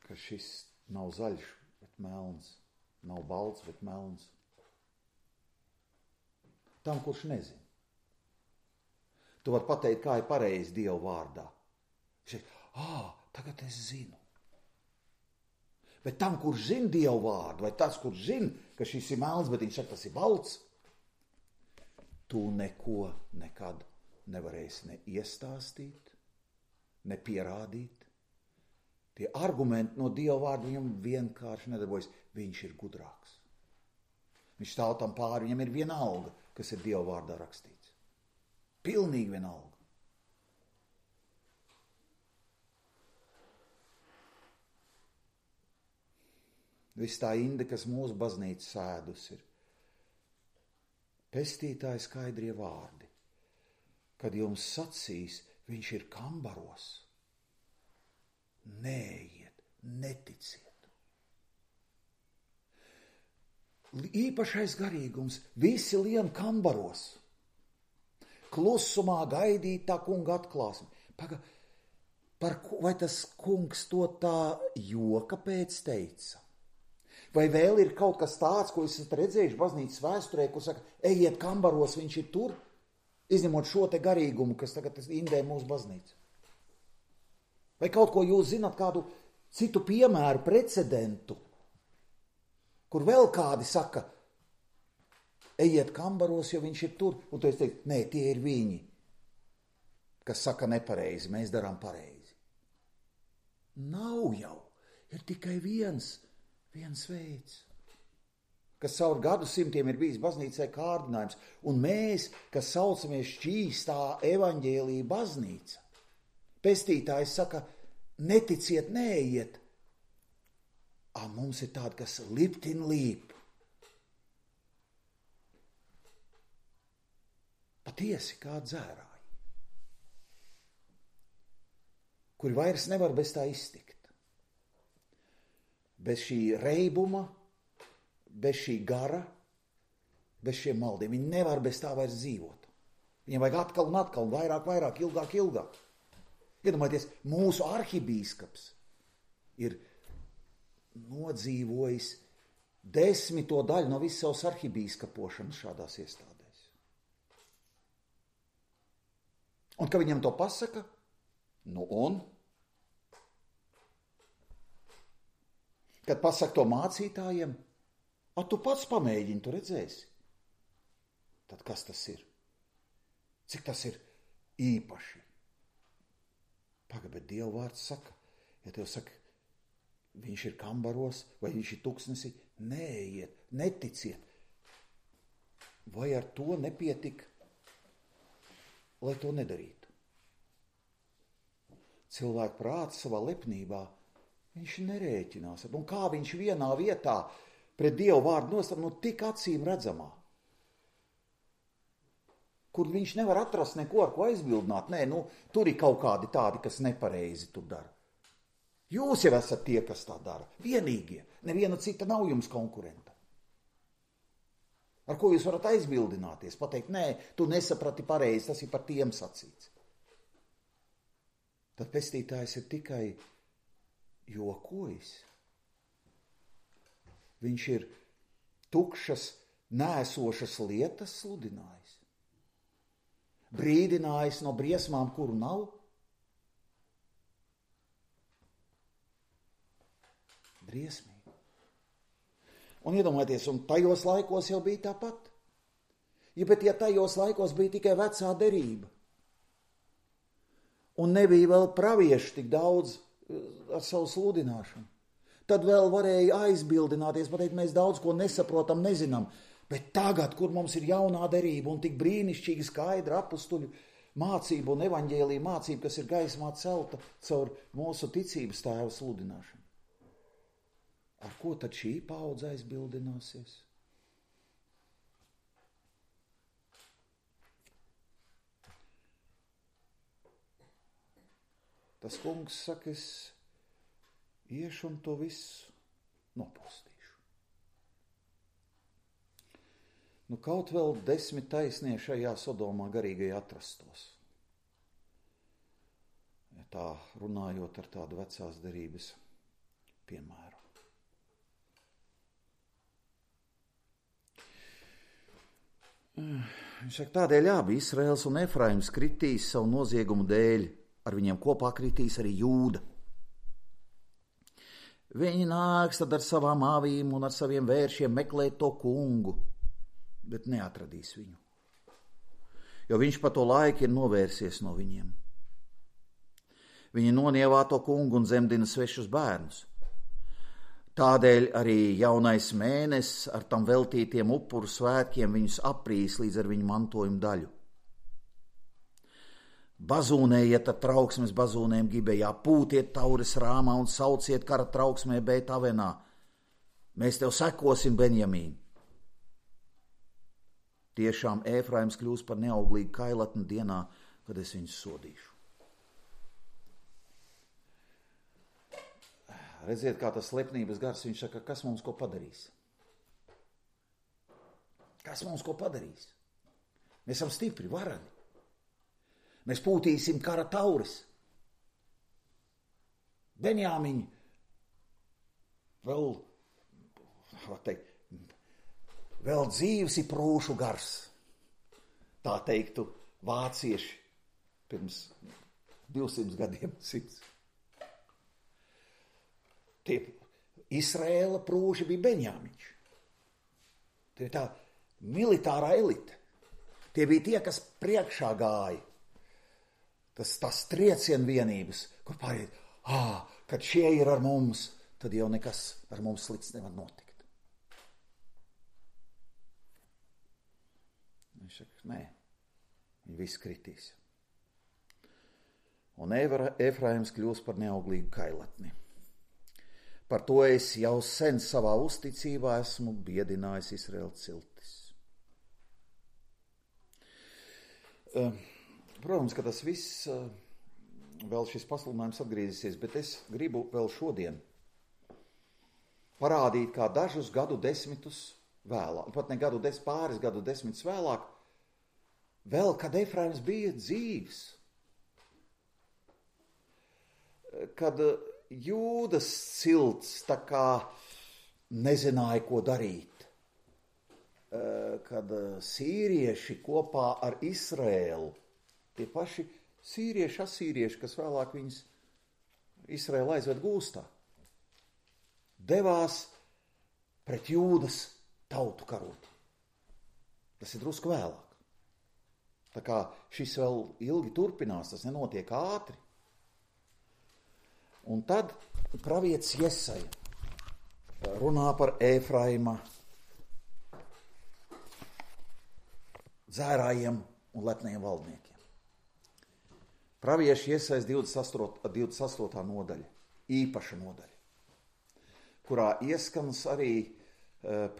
Speaker 1: ka šis nav zaļš, bet melns, nav balts, bet melns. Tam, kurš nezina. Tu vari pateikt, kā ir pareizi Dieva vārdā. Tagad es zinu. Bet tam, kurš zina Dieva vārdu, vai tas, kurš zina, ka šis ir melns, bet viņš saka, tas ir balts, tu neko nekad nevarēsi ne iestāstīt, ne pierādīt. Tie argumenti no Dieva vārda viņam vienkārši nedarbojas. Viņš ir gudrāks. Viņš stāv tam pāri, viņam ir vienalga, kas ir Dieva vārdā rakstīts. Pilnīgi vienalga. Viss tā inde, kas mūsu baznīca sēdus ir, Pestītāja skaidrie vārdi. Kad jums sacīs, viņš ir kambaros, neejiet, neticiet. Īpašais garīgums, visi lien kambaros. Klusumā gaidīt tā kunga atklāsmi. Vai tas kungs to tā joka pēc teica? Vai vēl ir kaut kas tāds, ko esat redzējuši baznīcas vēsturē, kur saka, ejiet kambaros, viņš ir tur, izņemot šo te garīgumu, kas tagad indē mūsu baznīcu? Vai kaut ko jūs zināt, kādu citu piemēru, precedentu, kur vēl kādi saka, ejiet kambaros, jo viņš ir tur, un tu esi teikt, nē, tie ir viņi, kas saka nepareizi, mēs darām pareizi. Nav jau, ir tikai viens veids, kas caur gadsimtiem ir bijis baznīcai kārdinājums, un mēs, kas saucamies šķīstā evaņģēlija baznīca, pestītājs saka, neticiet, neejiet, mums ir tādi, kas liptin līp. Patiesi kā dzērāji, kuri vairs nevar bez tā iztikt. Bez šī reibuma, bez šī gara, bez šiem maldiem. Viņi nevar bez tā vairs dzīvot. Viņiem vajag atkal un atkal, vairāk, ilgāk. Iedomājieties, mūsu arhibīskaps ir nodzīvojis 10. daļu no visas savas arhibīskapošanas šādās iestādēs. Un ka viņam to pasaka, un? Kad pasaka to mācītājiem, tu pats pamēģini, tu redzēsi. Tad kas tas ir? Cik tas ir īpaši? Bet Dieva vārds saka, ja tev saka, viņš ir kambaros vai viņš ir tuksnesī, neejiet, neticiet. Vai ar to nepietika, lai to nedarītu? Cilvēku prāts savā lepnībā viņš nerēķinās. Un kā viņš vienā vietā pret Dievu vārdu nostāv, tik acīm redzamā, kur viņš nevar atrast neko, ar ko aizbildināt. Nē, tur ir kaut kādi tādi, kas nepareizi tur dara. Jūs jau esat tie, kas tā dara. Vienīgie. Neviena cita nav jums konkurenta. Ar ko jūs varat aizbildināties? Pateikt, nē, tu nesaprati pareizi, tas ir par tiem sacīts. Tad pestītājs ir tikai jokojis. Viņš ir tukšas, nēsošas lietas sludinājis. Brīdinājis no briesmām, kuru nav. Briesmīgi. Un iedomājieties, un tajos laikos jau bija tāpat. Bet ja tajos laikos bija tikai vecā derība, un nebija vēl pravieši tik daudz ar savu sludināšanu, tad vēl varēja aizbildināties, pateikt, mēs daudz ko nesaprotam, nezinām, bet tagad, kur mums ir jaunā derība un tik brīnišķīgi skaidra apustuļu mācība un evaņģēlija mācība, kas ir gaismā celta caur mūsu ticības tēva sludināšanu. Ar ko tad šī paudze aizbildināsies? Tas kungs saka, es iešu un to visu nopostīšu. Kaut vēl 10 taisnie šajā Sodomā garīgajā atrastos. Ja tā runājot ar tādu vecās derības piemēru. Viņš saka, tādēļ abi Israels un Efraims kritīs savu noziegumu dēļ. Ar viņiem kopā kritīs arī Jūda. Viņi nāks tad ar savām avīm un ar saviem vēršiem meklēt to kungu, bet neatradīs viņu, jo viņš pa to laiku ir novērsies no viņiem. Viņi nonievā to kungu un zemdina svešus bērnus. Tādēļ arī jaunais mēnesis ar tam veltītiem upuru svētkiem viņus aprīs līdz ar viņu mantojumu daļu. Bazūnējiet ar trauksmes bazūnēm Gibejā, pūtiet taures Rāmā un sauciet kara trauksmē Bet Avenā. Mēs tev sekosim, Benjamīn. Tiešām Ēfraims kļūs par neauglīgu kailatni dienā, kad es viņus sodīšu. Redziet, kā tas slepnības gars, viņš saka, kas mums ko padarīs? Kas mums ko padarīs? Mēs esam stipri, varani. Mēs pūtīsim kara tauris. Benjāmiņi vēl dzīves ir prūšu gars. Tā teiktu vācieši pirms 200 gadiem. 100. Tie Izraēla prūši bija Benjāmiņš. Tie tā militārā elite. Tie bija tie, kas priekšā gāja. Tas triecienvienības, kur pāriet, kad šie ir ar mums, tad jau nekas ar mums slikts nevar notikt. Viņš saka, nē, viņi visi kritīs. Un Ēfraims kļūs par neauglīgu kailatni. Par to es jau sen savā uzticībā esmu biedinājis Izraēla ciltis. Protams, ka tas viss, vēl šis pasludinājums atgriezīsies, bet es gribu vēl šodien parādīt, kā dažus gadu desmitus vēlāk, pat ne pāris gadu desmitus vēlāk, vēl, kad Ēfraims bija dzīvs, kad Jūdas cilts tā kā nezināja, ko darīt, kad sīrieši kopā ar Izraēlu, tie paši sīrieši, asīrieši, kas vēlāk viņus Izraēlu aizved gūstā, devās pret Jūdas tautu karot. Tas ir drusku vēlāk. Tā kā šis vēl ilgi turpinās, tas nenotiek ātri. Un tad pravietis Jesaja runā par Ēfraima dzērājiem un lepniem valdniekiem. Pravieši Jesajas 28. nodaļa, īpaša nodaļa, kurā ieskanas arī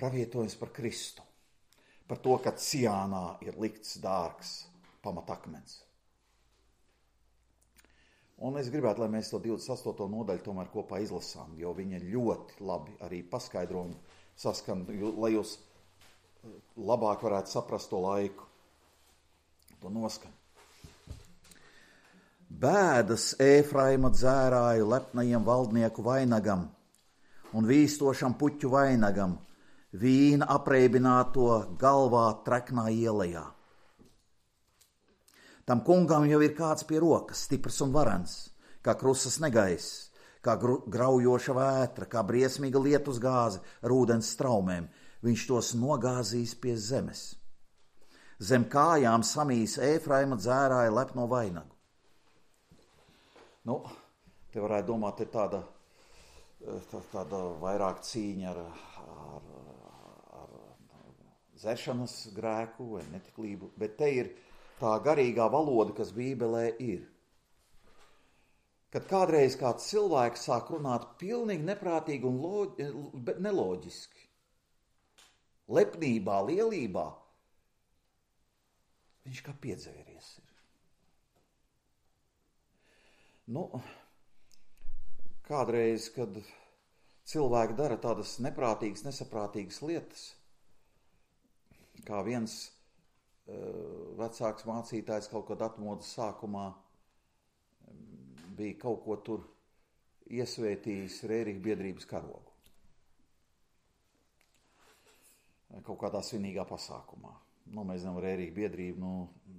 Speaker 1: pravietojums par Kristu, par to, ka Ciānā ir likts dārgs pamatakmens. Un es gribētu, lai mēs to 28. nodaļu tomēr kopā izlasām, jo viņa ļoti labi arī paskaidrojumu saskan, lai jūs labāk varētu saprast to laiku, to noskan. Bēdas Ēfraima dzērāju lepnajiem valdnieku vainagam un vīstošam puķu vainagam, vīna apreibināto galvā treknā ielajā. Tam kungam jau ir kāds pie rokas, stiprs un varens, kā krusas negaiss, kā graujoša vētra, kā briesmīga lietus gāze ar ūdens straumēm. Viņš tos nogāzīs pie zemes. Zem kājām samīs Ēfraima dzērāja lepno vainagu. Te varētu domāt, ir tāda vairāk cīņa ar dzeršanas grēku vai netiklību, bet te ir tā garīgā valoda, kas Bībelē ir. Kad kādreiz kāds cilvēks sāk runāt pilnīgi neprātīgi un neloģiski, lepnībā, lielībā, viņš kā piedzēries ir. Kādreiz, kad cilvēki dara tādas neprātīgas, nesaprātīgas lietas, kā viens vecāks mācītājs kaut kad atmodas sākumā bija kaut ko tur iesvētījis Rērīga biedrības karogu. Kaut kādā svinīgā pasākumā. Mēs zinām, Rērīga biedrība,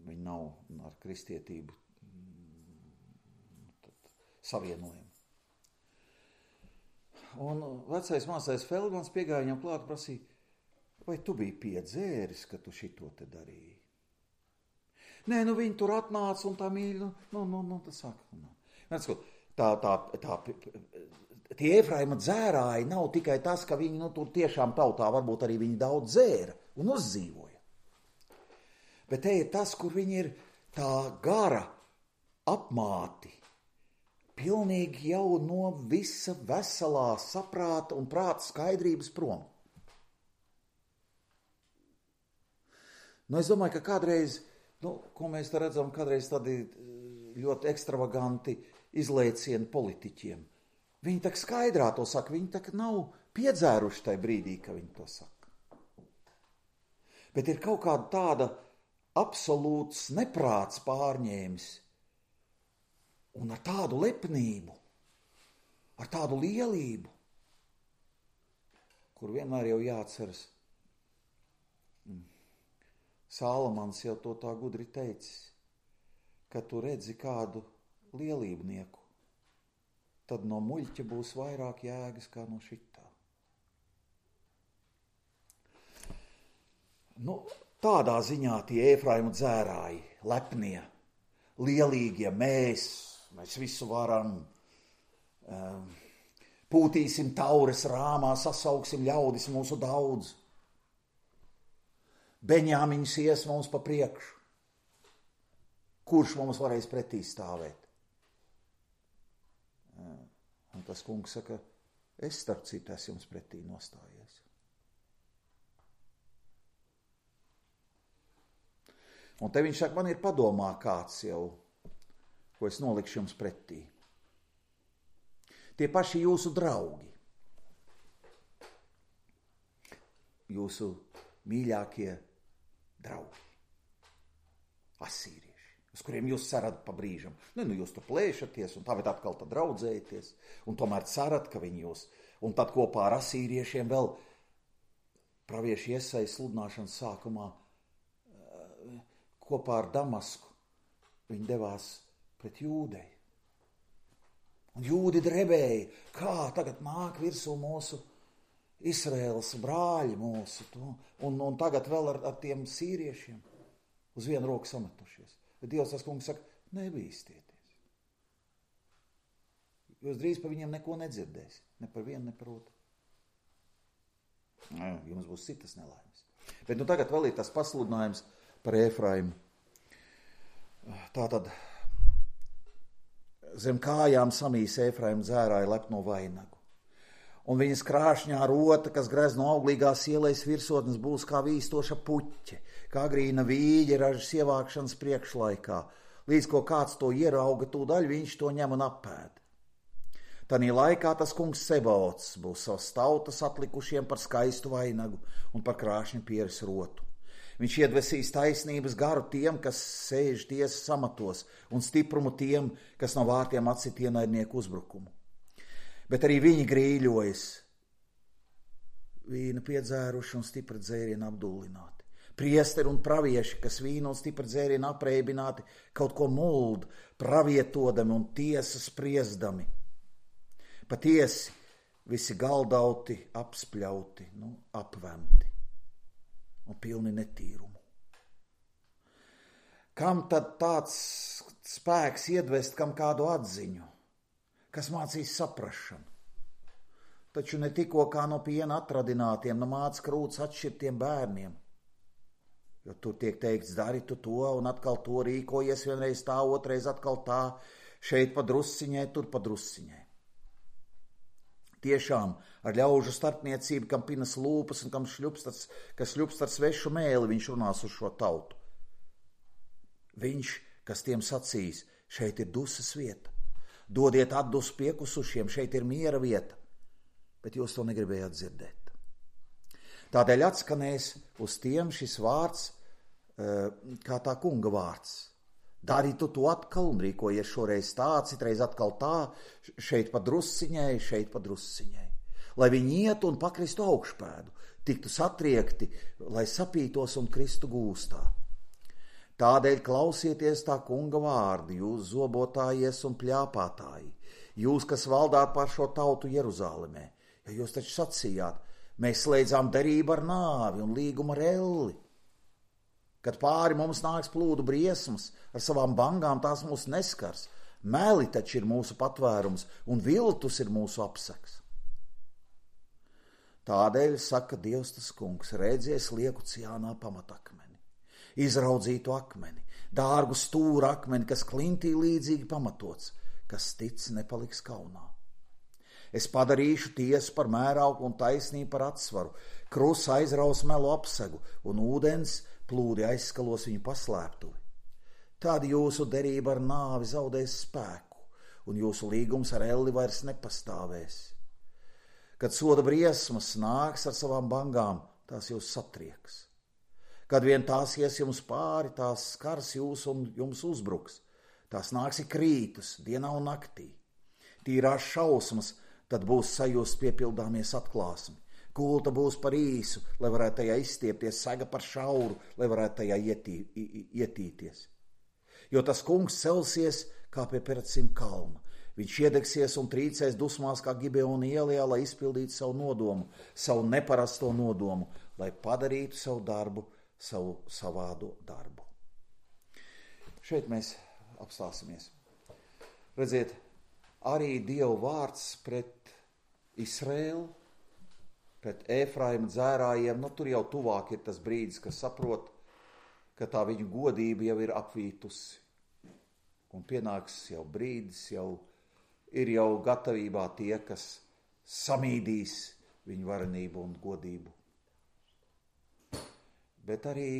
Speaker 1: viņi nav ar kristietību savienojumi. Un vecais mācītājs Feldmans piegāja viņam klāt un prasīja, vai tu biji piedzēris, ka tu šito te darīji? Nē, viņi tur atnāca un tā mīļi, tas saka. Tie Ēfraima dzērāji nav tikai tas, ka viņi tur tiešām tautā varbūt arī viņi daudz dzēra un uzdzīvoja. Bet te ir tas, kur viņi ir tā gara apmāti, pilnīgi jau no visa veselā saprāta un prāta skaidrības prom. Es domāju, ka kādreiz, ko mēs te redzam, kādreiz tādi ļoti ekstravaganti izlēcieni politiķiem. Viņi tak skaidrā to saka, viņi tak nav piedzēruši tajā brīdī, ka viņi to saka. Bet ir kaut kāda tāda absolūts neprāts pārņēmis un ar tādu lepnību, ar tādu lielību, kur vienmēr jau jāatceras. Sālamans jau to tā gudri teicis, ka tu redzi kādu lielībnieku, tad no muļķa būs vairāk jēgas kā no šitā. Tādā ziņā tie Efraimu dzērāji, lepnie, lielīgie, mēs visu varam, pūtīsim taures rāmā, sasauksim ļaudis mūsu daudz. Beņāmiņš ies mums pa priekšu. Kurš mums varēs pretī stāvēt? Un tas kungs saka, es starp citu esmu jums pretī nostājies. Un te viņš saka, man ir padomā kāds jau, ko es nolikšu jums pretī. Tie paši jūsu draugi, jūsu mīļākie draugi, asīrieši, uz kuriem jūs cerat pa brīžam. Jūs tur plēšaties, un tāpēc atkal tad draudzējaties, un tomēr cerat, ka viņi jūs, un tad kopā ar asīriešiem vēl pravieši Iesaja sludināšanas sākumā kopā ar Damasku viņi devās pret Jūdeju. Un jūdi drebēja, kā tagad nāk virsū mūsu Izraēlas brāļi mūsu, un tagad vēl ar tiem sīriešiem uz vienu roku sametušies. Bet Dievs tas kungs saka, nebīstieties. Jūs drīz par viņiem neko nedzirdēsiet, ne par vienu, ne par otru. Jums būs citas nelaimes. Bet tagad vēl ir tas pasludinājums par Efraimu. Tātad zem kājām samīs Efraimu dzērāja lepno vainagu. Un viņas krāšņā rota, kas grez no auglīgās ielais virsotnes, būs kā vīstoša puķe, kā agrīna vīģe ražas ievākšanas priekšlaikā. Līdz ko kāds to ierauga, tūdaļ viņš to ņem un apēd. Tanī laikā tas kungs Sebaots būs savas tautas atlikušiem par skaistu vainagu un par krāšņu pieres rotu. Viņš iedvesīs taisnības garu tiem, kas sēž tiesas amatos, un stiprumu tiem, kas no vārtiem atsit ienaidnieku uzbrukumu. Bet arī viņi grīļojas, vīnu piedzēruši un stipri dzērienu apdullināti. Priesteri un pravieši, kas vīnu un stipri dzērienu apreibināti, kaut ko muld, pravietodami un tiesas spriesdami. Patiesi, visi galdauti, apspļauti, apvemti un pilni netīrumu. Kam tad tāds spēks iedvest kam kādu atziņu? Kas mācīs saprašanu? Taču ne tikko kā no piena atradinātiem, no māca krūts atšķirtiem bērniem. Jo tur tiek teikts, dari tu to, un atkal to rīkojies, vienreiz tā, otrais atkal tā, šeit pa drusciņai, tur pa drusciņai. Tiešām ar ļaužu starpniecību, kam pinas lūpas un kas šļupst ar svešu mēli, viņš runās uz šo tautu. Viņš, kas tiem sacīs, šeit ir dusas vieta. Dodiet atdusu piekusušiem, šeit ir miera vieta, bet jūs to negribējāt dzirdēt. Tādēļ atskanēs uz tiem šis vārds, kā tā kunga vārds. Dari tu to atkal un rīkojies šoreiz tā, citreiz atkal tā, šeit pa drusciņai, šeit pa drusciņai. Lai viņi iet un pakristu augšpēdu, tiktu satriekti, lai sapītos un kristu gūstā. Tādēļ klausieties tā kunga vārdi, jūs zobotājies un pļāpātāji, jūs, kas valdāt pār šo tautu Jeruzālemē, jo jūs taču sacījāt, mēs slēdzām derību ar nāvi un līgumu ar elli. Kad pāri mums nāks plūdu briesmas, ar savām bangām tās mūs neskars, meli taču ir mūsu patvērums un viltus ir mūsu apseks. Tādēļ saka Dievs tas kungs, redzies lieku Ciānā pamatakmeni. Izraudzītu akmeni, dārgu stūra akmeni, kas klintī līdzīgi pamatots, kas tic nepaliks kaunā. Es padarīšu tiesu par mērauklu un taisnību par atsvaru, krusa aizraus melu apsegu un ūdens plūdi aizskalos viņu paslēptuvi. Tad jūsu derība ar nāvi zaudēs spēku, un jūsu līgums ar elli vairs nepastāvēs. Kad soda briesmas nāks ar savām bangām, tās jūs satrieks. Kad vien tās ies jums pāri, tās skars jūs un jums uzbruks. Tās nāks ik rītus, dienā un naktī. Tīrās šausmas, tad būs sajust piepildāmies atklāsmi. Kulta būs par īsu, lai varētu tajā izstiepties, saga par šauru, lai varētu tajā ietīties. Jo tas kungs celsies kā pie Peratsim kalna. Viņš iedegsies un trīcēs dusmās kā Gibeona ielā, lai izpildītu savu nodomu, savu neparasto nodomu, lai padarītu savu darbu, savu savādo darbu. Šeit mēs apstāsimies. Redziet, arī Dieva vārds pret Izraēlu, pret Efraima dzērājiem, tur jau tuvāk ir tas brīdis, kas saprot, ka tā viņu godība jau ir apvītusi. Un pienāks jau brīdis, ir jau gatavībā tie, kas samīdīs viņu varenību un godību. Bet arī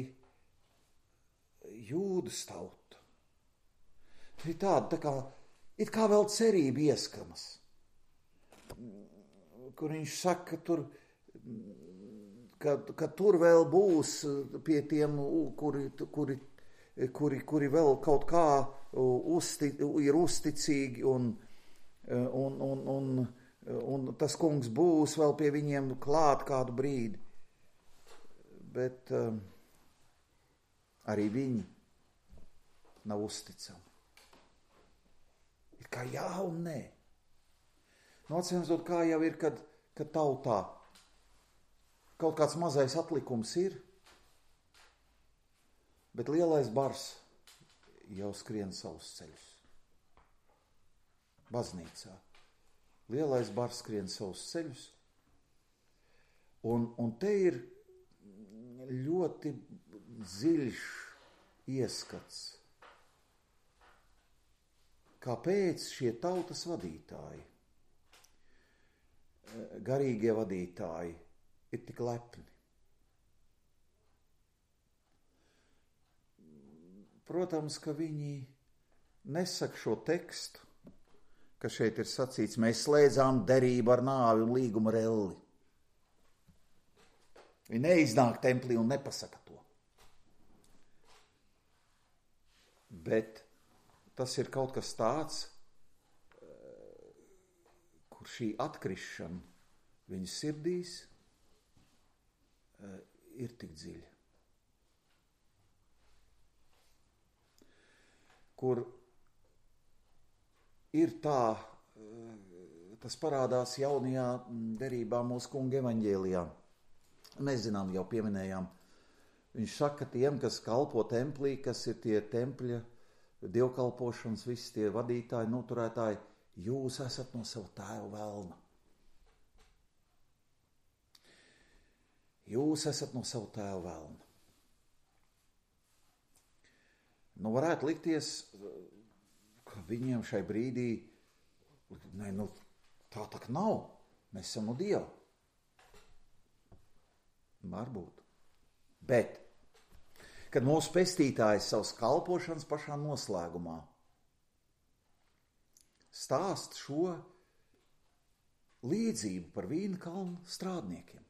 Speaker 1: Jūdas tauta. Ir tāda, it kā vēl cerība ieskanas, kur viņš saka, ka tur vēl būs pie tiem, kuri vēl kaut kā ir uzticīgi un tas kungs būs vēl pie viņiem klāt kādu brīdi. Bet arī viņi nav uzticami. Ir kā jā un nē. Nocensot, kā jau ir, kad tautā kaut kāds mazais atlikums ir, bet lielais bars jau skrien savus ceļus. Baznīcā. Lielais bars skrien savus ceļus, un te ir ļoti dziļš ieskats, kāpēc šie tautas vadītāji, garīgie vadītāji, ir tik lepni. Protams, ka viņi nesaka šo tekstu, ka šeit ir sacīts, mēs slēdzām derību ar nāvi un līgumu ar elli. Viņi neiznāk templī un nepasaka to. Bet tas ir kaut kas tāds, kur šī atkrišana viņu sirdīs ir tik dziļa. Kur ir tā, tas parādās jaunajā derībā mūsu kunga evaņģēlijā. Mēs zinām, jau pieminējām, viņš saka tiem, kas kalpo templī, kas ir tie tempļa dievkalpošanas, visi tie vadītāji, noturētāji, jūs esat no sava tēva velna. Jūs esat no sava tēva velna. Varētu likties, ka viņiem šai brīdī, tā tak nav, mēs esam no Dieva. Varbūt. Bet, kad mūsu pestītājs savas kalpošanas pašā noslēgumā stāst šo līdzību par vīna kalnu strādniekiem,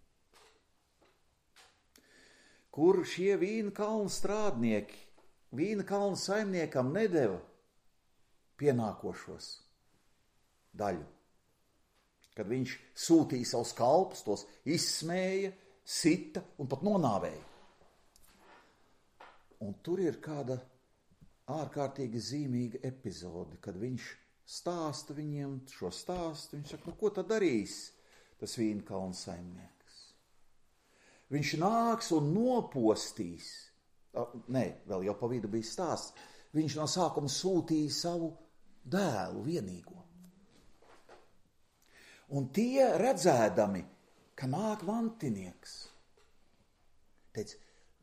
Speaker 1: kur šie vīna kalnu strādnieki vīna kalnu saimniekam nedeva pienākošos daļu. Kad viņš sūtīja savus kalpus, tos izsmēja, sita un pat nonāvēja. Un tur ir kāda ārkārtīgi zīmīga epizode, kad viņš stāsta viņiem šo stāstu. Viņš saka, ko tad darīs tas vīna kalnu saimnieks? Viņš nāks un nopostīs. Vēl jau pa vidu bija stāsts. Viņš no sākuma sūtīja savu dēlu vienīgo. Un tie redzēdami, ka nāk mantinieks, teica,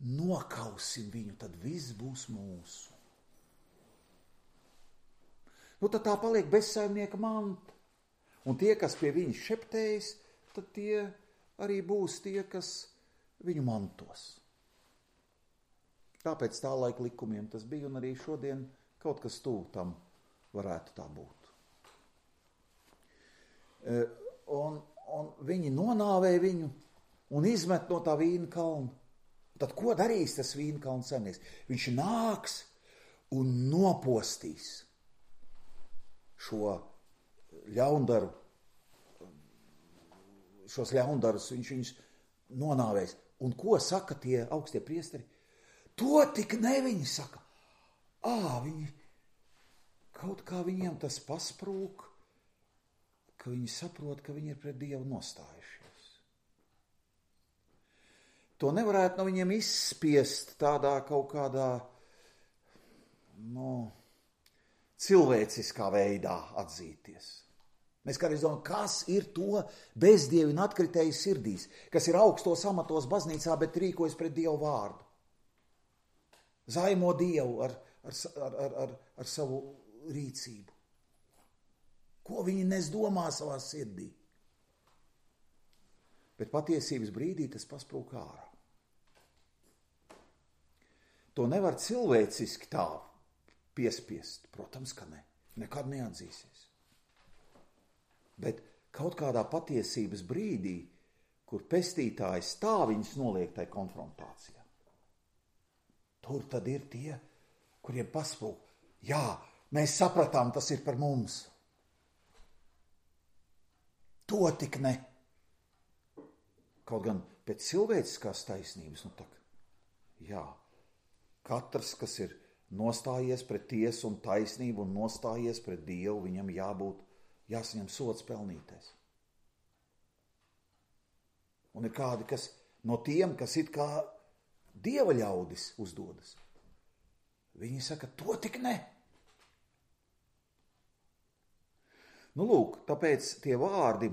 Speaker 1: nokausim viņu, tad viss būs mūsu. Tad tā paliek bezsaimnieka manta. Un tie, kas pie viņa šeptējas, tad tie arī būs tie, kas viņu mantos. Tāpēc tā laika likumiem tas bija, un arī šodien kaut kas tuvu tam varētu tā būt. Un viņi nonāvēja viņu un izmet no tā vīna kalna. Tad ko darīs tas vīna kalna saimnieks? Viņš nāks un nopostīs šo ļaundaru, šos ļaundarus, viņš viņus nonāvēs. Un ko saka tie augstie priesteri? To tik ne, viņi saka. Viņi kaut kā viņiem tas pasprūk, ka viņi saprot, ka viņi ir pret Dievu nostājušies. To nevarētu no viņiem izspiest tādā kaut kādā, cilvēciskā veidā atzīties. Mēs kādreiz domājam, kas ir to bezdievi un atkritēju sirdīs, kas ir augstos amatos baznīcā, bet rīkojas pret Dievu vārdu. Zaimo Dievu ar savu rīcību. Ko viņi nesdomā savā sirdī? Bet patiesības brīdī tas pasprūk ārā. To nevar cilvēciski tā piespiest. Protams, ka ne. Nekad neatzīsies. Bet kaut kādā patiesības brīdī, kur pestītājs tā viņus noliek tai konfrontācijā. Tur tad ir tie, kuriem pasprūk. Jā, mēs sapratām, tas ir par mums. To tik ne. Kaut gan pēc cilvēciskās taisnības, katrs, kas ir nostājies pret tiesu un taisnību un nostājies pret Dievu, viņam jāsaņem sods pelnītais. Un ir kādi, kas no tiem, kas it kā Dieva ļaudis uzdodas, viņi saka, to tik ne. Tāpēc tie vārdi,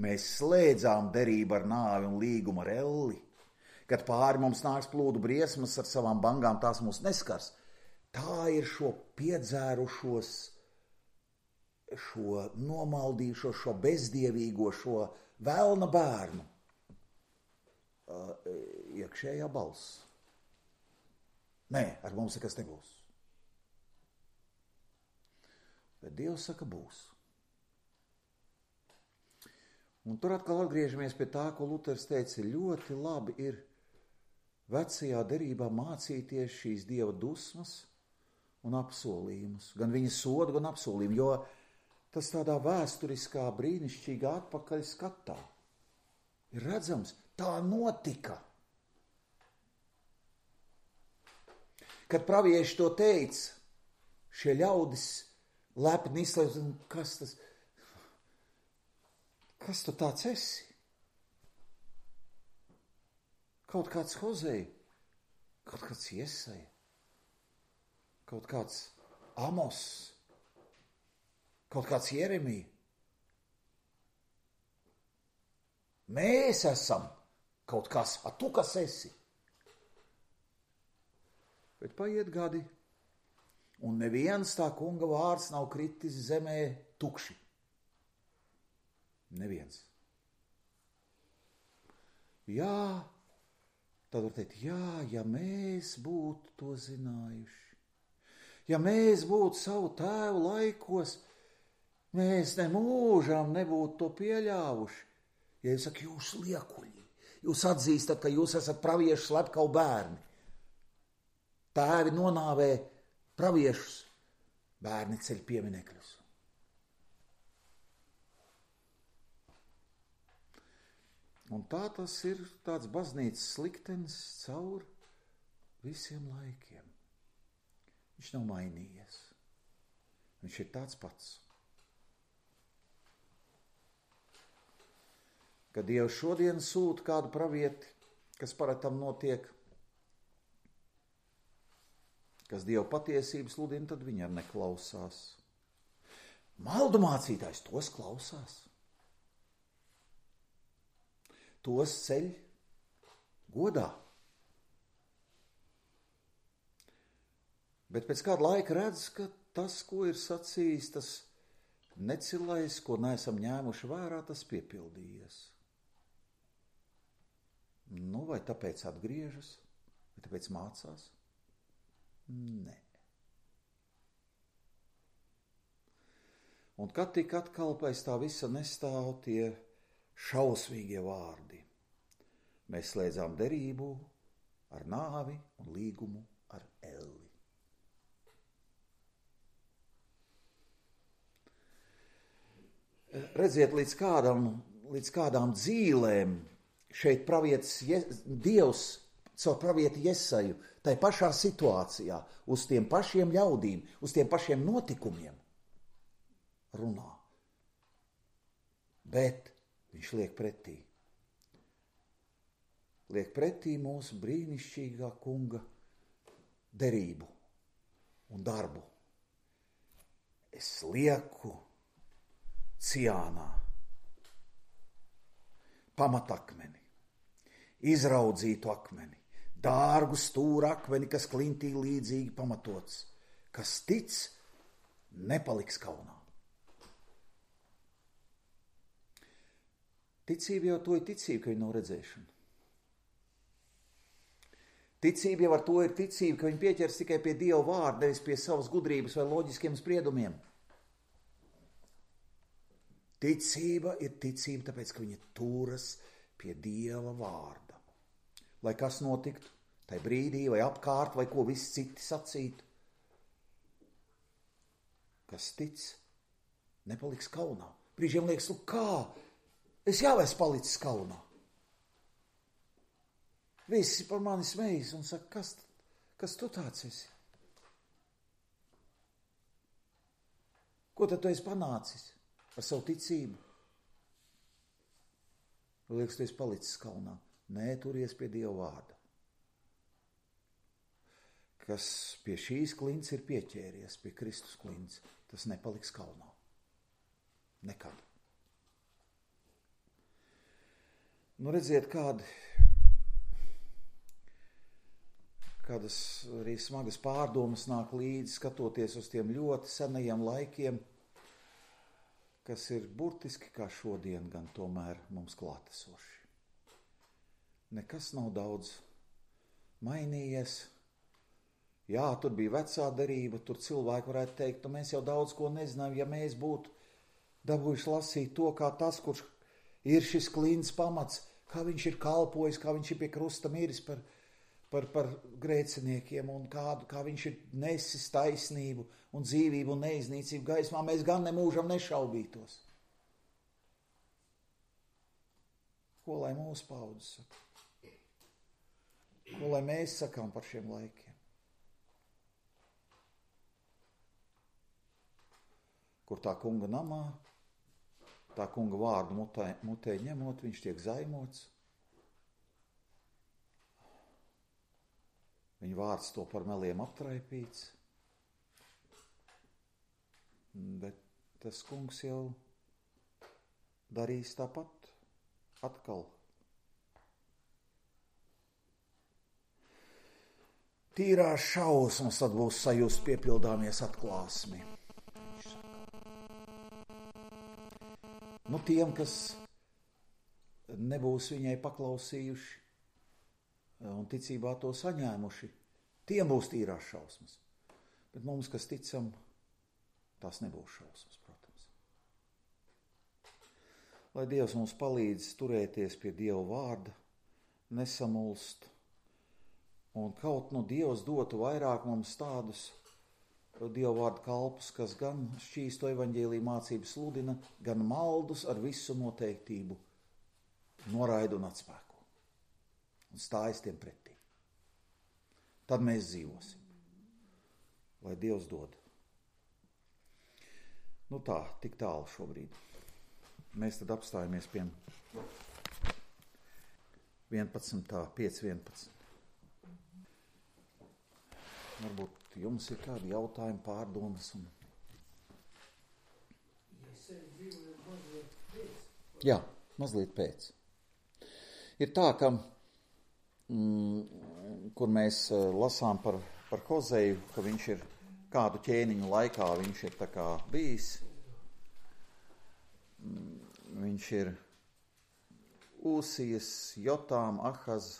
Speaker 1: mēs slēdzām derību ar nāvi un līgumu ar elli. Kad pāri mums nāks plūdu briesmas ar savām bangām, tās mūs neskars. Tā ir šo piedzērušos, šo nomaldījušo, šo bezdievīgo, šo velna bērnu iekšējā balss. Nē, ar mums nekas nebūs. Bet Dievs saka, būs. Un tur atkal atgriežamies pie tā, ko Luters teica, ļoti labi ir vecajā derībā mācīties šīs Dieva dusmas un apsolījumus, gan viņa sodu, gan apsolījumu, jo tas tādā vēsturiskā, brīnišķīgā atpakaļ skatā ir redzams, tā notika. Kad pravieši to teica, šie ļaudis lepni izslēdz, kas tu tāds esi? Kaut kāds Hozei, kaut kāds Iesaja, kaut kāds Amos, kaut kāds Jeremija. Mēs esam kaut kas, tu kas esi? Bet paiet gadi, un neviens tā kunga vārds nav kritis zemē tukši. Neviens. Jā, tad var teikt, ja mēs būtu to zinājuši, ja mēs būtu savu tēvu laikos, mēs nemūžam nebūtu to pieļāvuši. Ja jūs sakat, jūs liekuļi, jūs atzīstat, ka jūs esat praviešu slepkavu bērni. Tēvi nonāvē praviešus, bērni ceļ pieminekļus. Un tā tas ir tāds baznīcas liktenis caur visiem laikiem. Viņš nav mainījies. Viņš ir tāds pats. Kad Dievs šodien sūta kādu pravieti, kas paratam notiek, kas Dieva patiesības sludina, tad viņi ar neklausās. Maldu mācītājs tos klausās. Tos ceļ godā. Bet pēc kāda laika redz, ka tas, ko ir sacījis, tas necilais, ko neesam ņēmuši vērā, tas piepildījies. Vai tāpēc atgriežas, vai tāpēc mācās? Nē. Un kad tik atkal pēc tā visa nestāv tie šausmīgie vārdi. Mēs slēdzām derību ar nāvi un līgumu ar elli. Redziet, līdz kādām dzīlēm šeit Dievs caur pravieti Jesaju, tai pašā situācijā, uz tiem pašiem ļaudīm, uz tiem pašiem notikumiem runā. Bet viņš liek pretī. Liek pretī mūsu brīnišķīgā kunga derību un darbu. Es lieku Ciānā pamatakmeni, izraudzītu akmeni, dārgu stūra akmeni, kas klintī līdzīgi pamatots, kas tic, nepaliks kaunā. Ticība jau to ir ticība, ka viņa nav redzēšana. Ticība jau ar to ir ticība, ka viņa pieķers tikai pie Dieva vārda, nevis pie savas gudrības vai loģiskiem spriedumiem. Ticība ir ticība, tāpēc, ka viņa turas pie Dieva vārda. Lai kas notiktu, tai brīdī vai apkārt, vai ko visi citi sacītu. Kas tic, nepaliks kaunā. Brīžiem liekas, kā? Es jau esmu palicis kaunā. Visi par mani smejas un saka, kas tu tāds esi? Ko tad tu esi panācis ar savu ticību? Liekas, tu esi palicis kaunā. Nē, turies pie Dieva vārda. Kas pie šīs klints ir pieķēries, pie Kristus klints, tas nepaliks kaunā. Nekad. Nu, redziet, kādas arī smagas pārdomas nāk līdzi, skatoties uz tiem ļoti senajiem laikiem, kas ir burtiski kā šodien, gan tomēr mums klātesoši. Nekas nav daudz mainījies. Jā, tur bija vecā derība, tur cilvēki varētu teikt, nu mēs jau daudz ko nezinām, ja mēs būtu dabūjuši lasīt to, kā tas, kurš ir šis klints pamats, kā viņš ir kalpojis, kā viņš ir pie krusta miris par grēciniekiem un kā viņš ir nesis taisnību un dzīvību un neiznīcību gaismā, mēs gan nemūžam nešaubītos. Ko lai mūsu paudzes saka? Ko lai mēs sakām par šiem laikiem? Kur tā kunga namā, tā kunga vārdu mutē ņemot, viņš tiek zaimots. Viņa vārds to par meliem aptraipīts. Bet tas kungs jau darīs tāpat atkal. Tīrās šausmas tad būs sajust piepildāmies atklāsmi. Nu, tiem, kas nebūs viņai paklausījuši un ticībā to saņēmuši, tiem būs tīrās šausmas. Bet mums, kas ticam, tās nebūs šausmas, protams. Lai Dievs mums palīdz turēties pie Dieva vārda, nesamulst, un kaut nu Dievs dotu vairāk mums tādus Dieva vārda kalpus, kas gan šķīsto evaņģēliju mācību sludina, gan maldus ar visu noteiktību noraida un atspēko. Un stājas tiem pretī. Tad mēs dzīvosim. Lai Dievs dod. Nu tā, tik tālu šobrīd. Mēs tad apstājamies pie 5.11. Varbūt jums ir kādi jautājumi, pārdomas? Jā, mazliet pēc. Ir tā, ka, kur mēs lasām par Hozeju, ka viņš ir kādu ķēniņu laikā, viņš ir tā kā bijis. Viņš ir Ūsijas, Jotām, Ahaz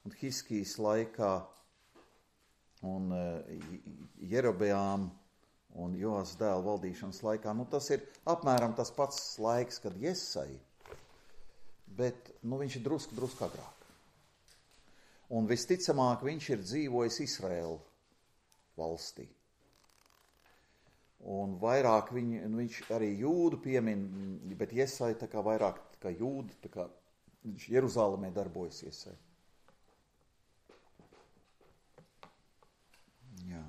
Speaker 1: un Hiskijas laikā un Jerobeām un Joas dēla valdīšanas laikā. Tas ir apmēram tas pats laiks, kad Jesai, bet viņš ir drusku agrāk. Un visticamāk viņš ir dzīvojis Izraēla valstī. Un vairāk viņš arī jūdu piemin, bet Jesai tā kā vairāk kā jūdu, tā kā viņš Jeruzālemē darbojas Jesai. Jā.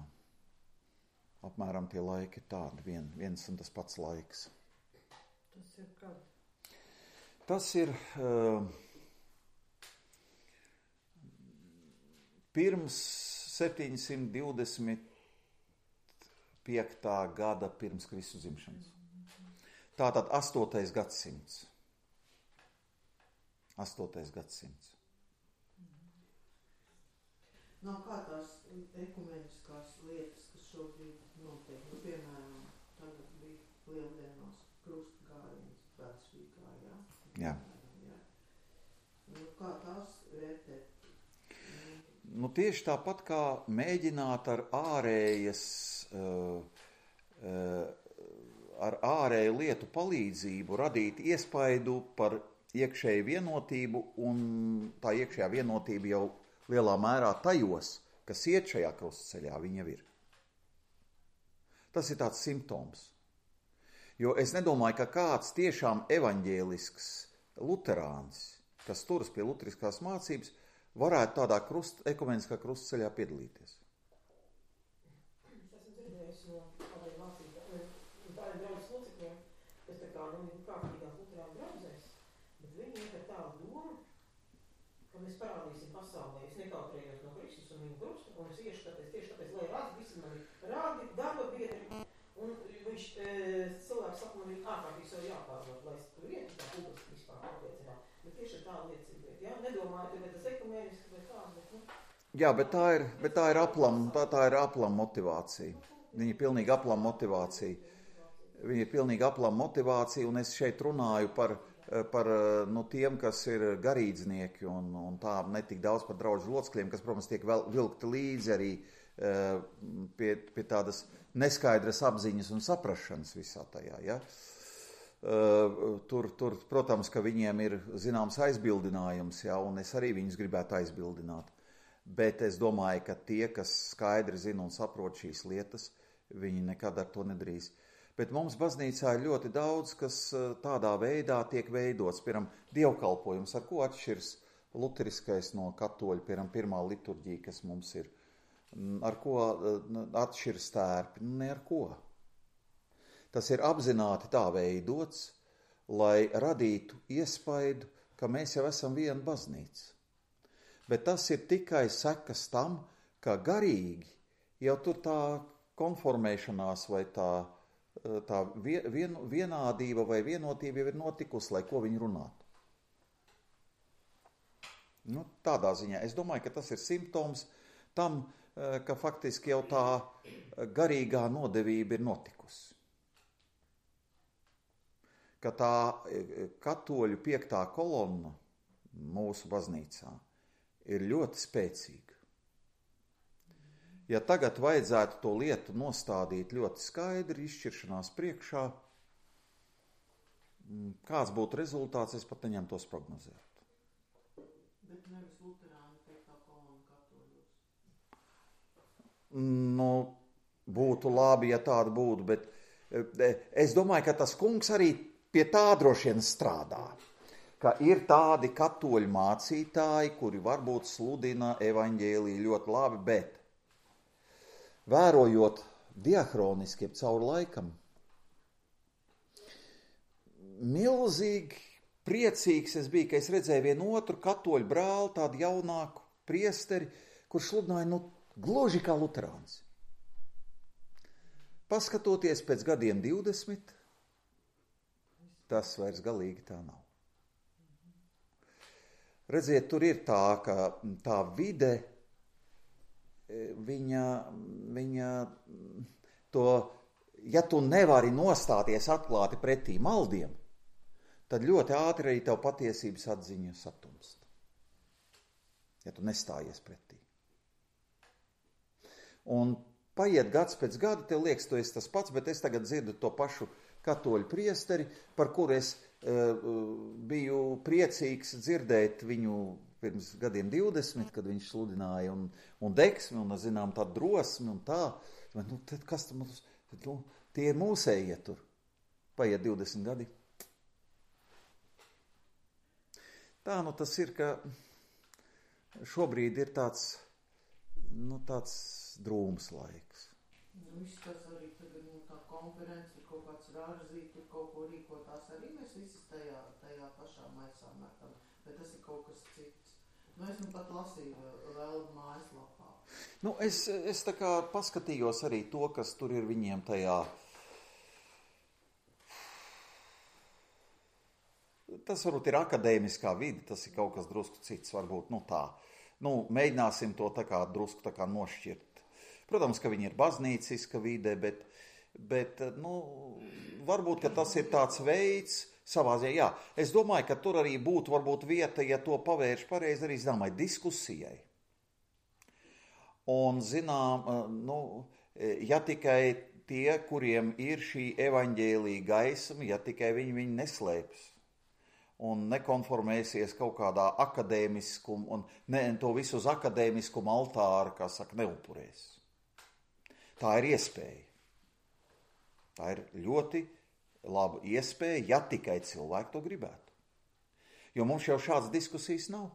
Speaker 1: Apmēram tie laiki ir tādi, viens un tas pats laiks.
Speaker 2: Tas ir kad?
Speaker 1: Tas ir pirms 725. Gada pirms Kristus dzimšanas. Tātad 8. gadsimts. 8. gadsimts.
Speaker 3: Nav kā tās ekumeniskās lietas, kas šobrīd notiek. Piemēram, tagad bija lieldienās krustgājiens Vecrīgā, jā?
Speaker 1: Jā.
Speaker 3: Kā tās vērtēt?
Speaker 1: Tieši tāpat kā mēģināt ar ārēju lietu palīdzību radīt iespaidu par iekšēju vienotību, un tā iekšējā vienotība jau lielā mērā tajos, kas iet šajā krustceļā, viņa ir. Tas ir tāds simptoms. Jo es nedomāju, ka kāds tiešām evaņģēlisks luterāns, kas turas pie luteriskās mācības, varētu tādā ekumeniskā krustceļā piedalīties.
Speaker 4: Es esmu dzirdējis no kādiem mācībām, tādiem draudzes locekļiem, kas tā kā kārtīgās luterānu draudzēs, bet viņi iet ar tādu domu, ka mēs parādīsim pasaulē, es nekautrējos no Kristus un viņa krusta, un es iešu tieši tāpēc, lai rādi, visi mani rādi, darba biedri, un viņš cilvēks saka, man ir ārkārtīgi sev jāpārvot, lai es tur ietu, tā publiski vispār apliecināt. Bet tieši ir tā liecība, jā, nedomāju, ka tas ekumēniski vai kā, bet,
Speaker 1: Jā, bet tā ir aplama motivācija. Viņa ir pilnīgi aplama motivācija. Un es šeit runāju par tiem, kas ir garīdznieki un tā netik daudz par draudžu locekļiem, kas, protams, tiek vilkti līdzi arī pie tādas neskaidras apziņas un saprašanas visā tajā, ja? Tur, protams, ka viņiem ir zināms aizbildinājums, ja, un es arī viņus gribētu aizbildināt. Bet es domāju, ka tie, kas skaidri zina un saprot šīs lietas, viņi nekad ar to nedrīz. Bet mums baznīcā ir ļoti daudz, kas tādā veidā tiek veidots. Piemēram, dievkalpojums, ar ko atšķirs luteriskais no katoļa, piemēram, pirmā liturģija, kas mums ir. Ar ko atšķirs tērpi? Ne ar ko. Tas ir apzināti tā veidots, lai radītu iespaidu, ka mēs jau esam viena baznīca. Bet tas ir tikai sekas tam, ka garīgi jau tur tā konformēšanās vai tā vienādība vai vienotība jau ir notikusi, lai ko viņi runātu. Tādā ziņā es domāju, ka tas ir simptoms tam, ka faktiski jau tā garīgā nodevība ir notikusi. Ka tā katoļu 5. kolonna mūsu baznīcā ir ļoti spēcīga. Ja tagad vajadzētu to lietu nostādīt ļoti skaidri, izšķiršanās priekšā, kāds būtu rezultāts, es pat neņemtos prognozēt.
Speaker 3: Bet nevis luterāni 5. kolonna katoļos.
Speaker 1: Būtu labi, ja tāda būtu, bet es domāju, ka tas kungs arī pie tā droši vien strādā, ka ir tādi katoļu mācītāji, kuri varbūt sludina evaņģēliju ļoti labi, bet vērojot diahroniski caur laikam, milzīgi priecīgs es biju, ka es redzēju vienu otru katoļu brāli, tādu jaunāku priesteri, kurš sludināja gluži kā luterāns. Paskatoties pēc gadiem 20, tas vairs galīgi tā nav. Redziet, tur ir tā, ka tā vide, viņa to, ja tu nevari nostāties atklāti pretī maldiem, tad ļoti ātri arī tev patiesības atziņa satumst. Ja tu nestājies pretī. Un paiet gads pēc gada, tev liekas, tu esi tas pats, bet es tagad dzirdu to pašu katoļu priesteri, par kuru es biju priecīgs dzirdēt viņu pirms gadiem 20, kad viņš sludināja un deksmi, un, zinām, tā drosmi un tā. Nu, tad kas tam mums? Nu, tie ir mūsējie tur. Paiet 20 gadi. Tā, nu tas ir, ka šobrīd ir tāds drūms laiks.
Speaker 3: Izskatās arī tagad tā konferences, tur kaut kāds rārzīt, tur kaut ko rīkotās arī mēs visi tajā pašā maisā metam, bet tas ir kaut kas cits. Nu, es pat lasīju vēl mājaslapā.
Speaker 1: Nu, es tā kā paskatījos arī to, kas tur ir viņiem tajā. Tas varbūt ir akadēmiskā vide, tas ir kaut kas drusku cits, varbūt, tā. Mēģināsim to tā kā drusku tā kā nošķirt. Protams, ka viņi ir baznīciska vide, bet varbūt, ka tas ir tāds veids savā ziņā. Jā, es domāju, ka tur arī būtu varbūt vieta, ja to pavērš pareizi arī zināmai diskusijai. Un, ja tikai tie, kuriem ir šī evaņģēlija gaisma, ja tikai viņi neslēpjas un nekonformēsies kaut kādā akadēmiskumu un to visu uz akadēmiskumu altāra, kā saka, neupurēs. Tā ir iespēja. Tā ir ļoti laba iespēja, ja tikai cilvēki to gribētu. Jo mums jau šādas diskusijas nav.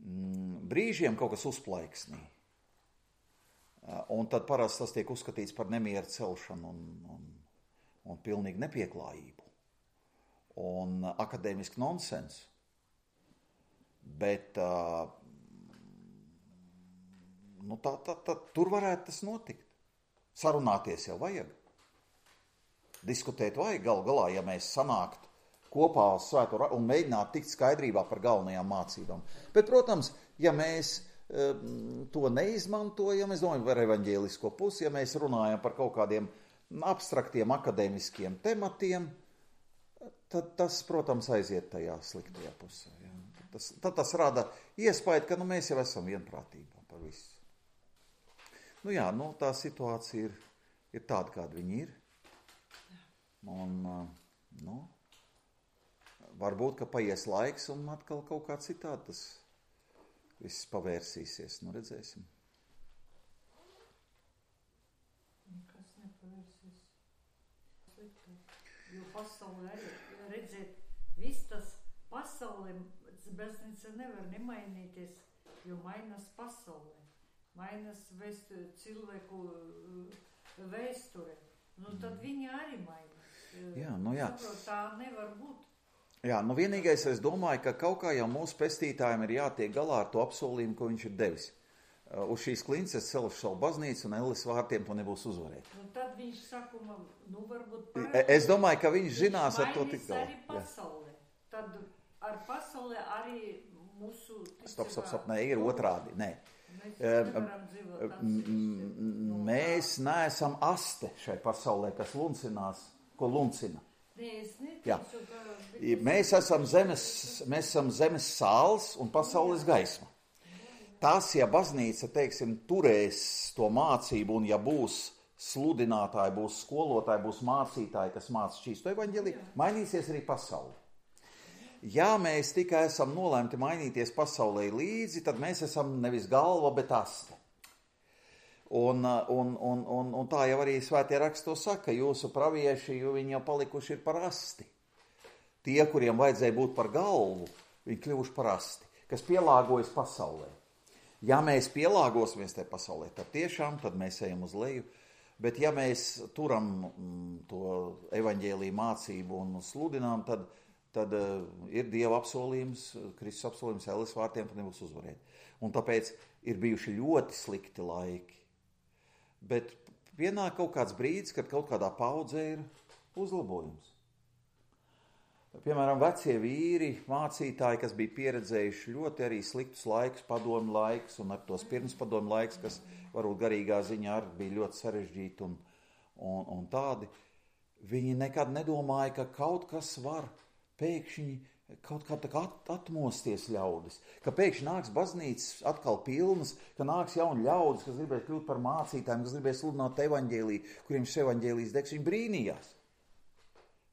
Speaker 1: Brīžiem kaut kas uzplaiksnī. Un tad parasti tas tiek uzskatīts par nemieru celšanu un pilnīgi nepieklājību. Un akadēmisku nonsensu. Bet tur varētu tas notikt. Sarunāties jau vajag. Diskutēt vajag galu galā, ja mēs sanāktu kopā uz svēto un mēģinātu tikt skaidrībā par galvenajām mācībām. Bet, protams, ja mēs to neizmantojam, es domāju par evaņģēlisko pusi, ja mēs runājam par kaut kādiem abstraktiem akadēmiskiem tematiem, tad tas, protams, aiziet tajā sliktajā pusē. Ja. Tad tas rada iespēju, ka mēs jau esam vienprātībā par visu. Tā situācija ir tāda, kāda viņa ir. Un, varbūt, ka paies laiks un atkal kaut kā citādi tas viss pavērsīsies. Redzēsim.
Speaker 2: Kas nepavērsīs? Jo pasaulē arī, redziet, viss tas pasaulē, baznīca nevar nemainīties, jo mainās pasaulē. Mainās cilvēku vēsture. Tad viņi arī mainās.
Speaker 1: Jā.
Speaker 2: Saprot, tā nevar būt.
Speaker 1: Jā, vienīgais es domāju, ka kaut kā jau mūsu pestītājiem ir jātiek galā ar to apsolījumu, ko viņš ir devis. Uz šīs klinces es celšu savu baznīcu un Elles vārtiem to nebūs uzvarēt.
Speaker 2: Tad viņš saka, varbūt
Speaker 1: es domāju, ka viņš zinās ar to tik galā.
Speaker 2: Arī pasaulē. Tad ar pasaulē arī mūsu
Speaker 1: Stop, nē, ir otrādi, nē. Mēs neesam aste šai pasaulē, kas luncinās, ko luncina. Mēs esam zemes sāls un pasaules gaisma. Tas, ja baznīca, turēs to mācību un ja būs sludinātāji, būs skolotāji, būs mācītāji, kas māca šķīsto evaņģēliju, mainīsies arī pasauli. Ja mēs tikai esam nolēmti mainīties pasaulē līdzi, tad mēs esam nevis galva, bet aste. Un tā jau arī svētie raksti to saka, jūsu pravieši, jo viņi jau palikuši ir par asti. Tie, kuriem vajadzēja būt par galvu, viņi kļuvuši par asti, kas pielāgojas pasaulē. Ja mēs pielāgosimies tajā pasaulē, tad tiešām tad mēs ejam uz leju. Bet ja mēs turam to evaņģēliju mācību un sludinām, tad ir Dieva apsolījums, Kristus apsolījums Elles vārtiem, tad nebūs uzvarēt. Un tāpēc ir bijuši ļoti slikti laiki. Bet pienāk kaut kāds brīdis, kad kaut kādā paudzē ir uzlabojums. Piemēram, vecie vīri, mācītāji, kas bija pieredzējuši ļoti arī sliktus laikus, padomu laiks un ar tos pirmspadomu laiks, kas varbūt garīgā ziņā arī bija ļoti sarežģīti un tādi, viņi nekad nedomāja, ka kaut kas var pēkšņi kaut kā tā kā atmosties ļaudis, ka pēkšņi nāks baznīcas atkal pilnas, ka nāks jauni ļaudis, kas gribēs kļūt par mācītājiem, kas gribēs sludināt evaņģēliju, kuriem šis evaņģēlijs degs, viņi brīnījās.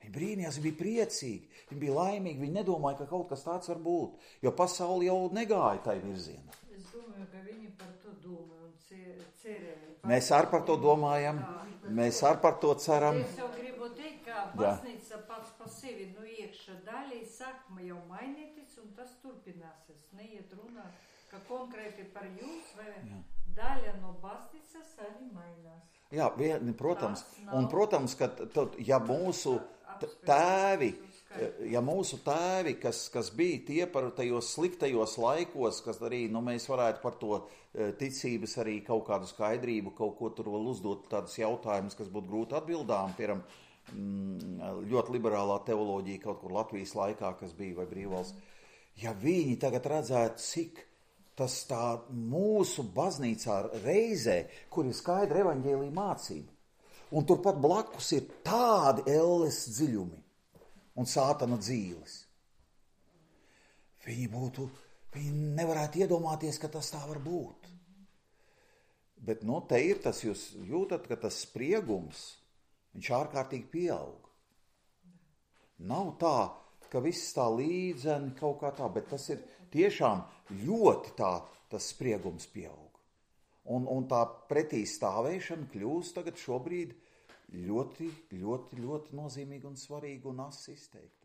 Speaker 1: Viņi brīnījās, viņi bija priecīgi, viņi bija laimīgi, viņi nedomāja, ka kaut kas tāds var būt, jo pasauli jau negāja tai virzienā.
Speaker 2: Es domāju, ka viņi par to domāja un cerēja.
Speaker 1: Mēs arī par to domājam, mēs arī par to ceram.
Speaker 2: Es jau gribu teikt, ka baznīca pats pa sevi no iekšā daļai sākuma jau mainīties un tas turpināsies. Neiet runāt, ka konkrēti par jūs vai daļa no baznīcas arī mainās.
Speaker 1: Jā, protams, un protams, ka ja mūsu tēvi, kas bija tie par tajos sliktajos laikos, kas arī, mēs varētu par to ticības arī kaut kādu skaidrību, kaut ko tur vēl uzdot tādus jautājumus, kas būtu grūti atbildām, piemēram, ļoti liberālā teoloģija kaut kur Latvijas laikā, kas bija, vai brīvvalsts. Ja viņi tagad redzētu, cik tas tā mūsu baznīcā reizē, kur ir skaidra evaņģēlija mācība, un turpat blakus ir tādi elles dziļumi un sātana dzīves. Viņi nevarētu iedomāties, ka tas tā var būt. Bet, te ir tas, jūs jūtat, ka tas spriegums, viņš ārkārtīgi pieaug. Nav tā, ka viss tā līdzeni kaut kā tā, bet tas ir tiešām ļoti tas spriegums pieaug. Un tā pretī stāvēšana kļūst tagad šobrīd ļoti, ļoti, ļoti nozīmīga un svarīga un asi izteikta.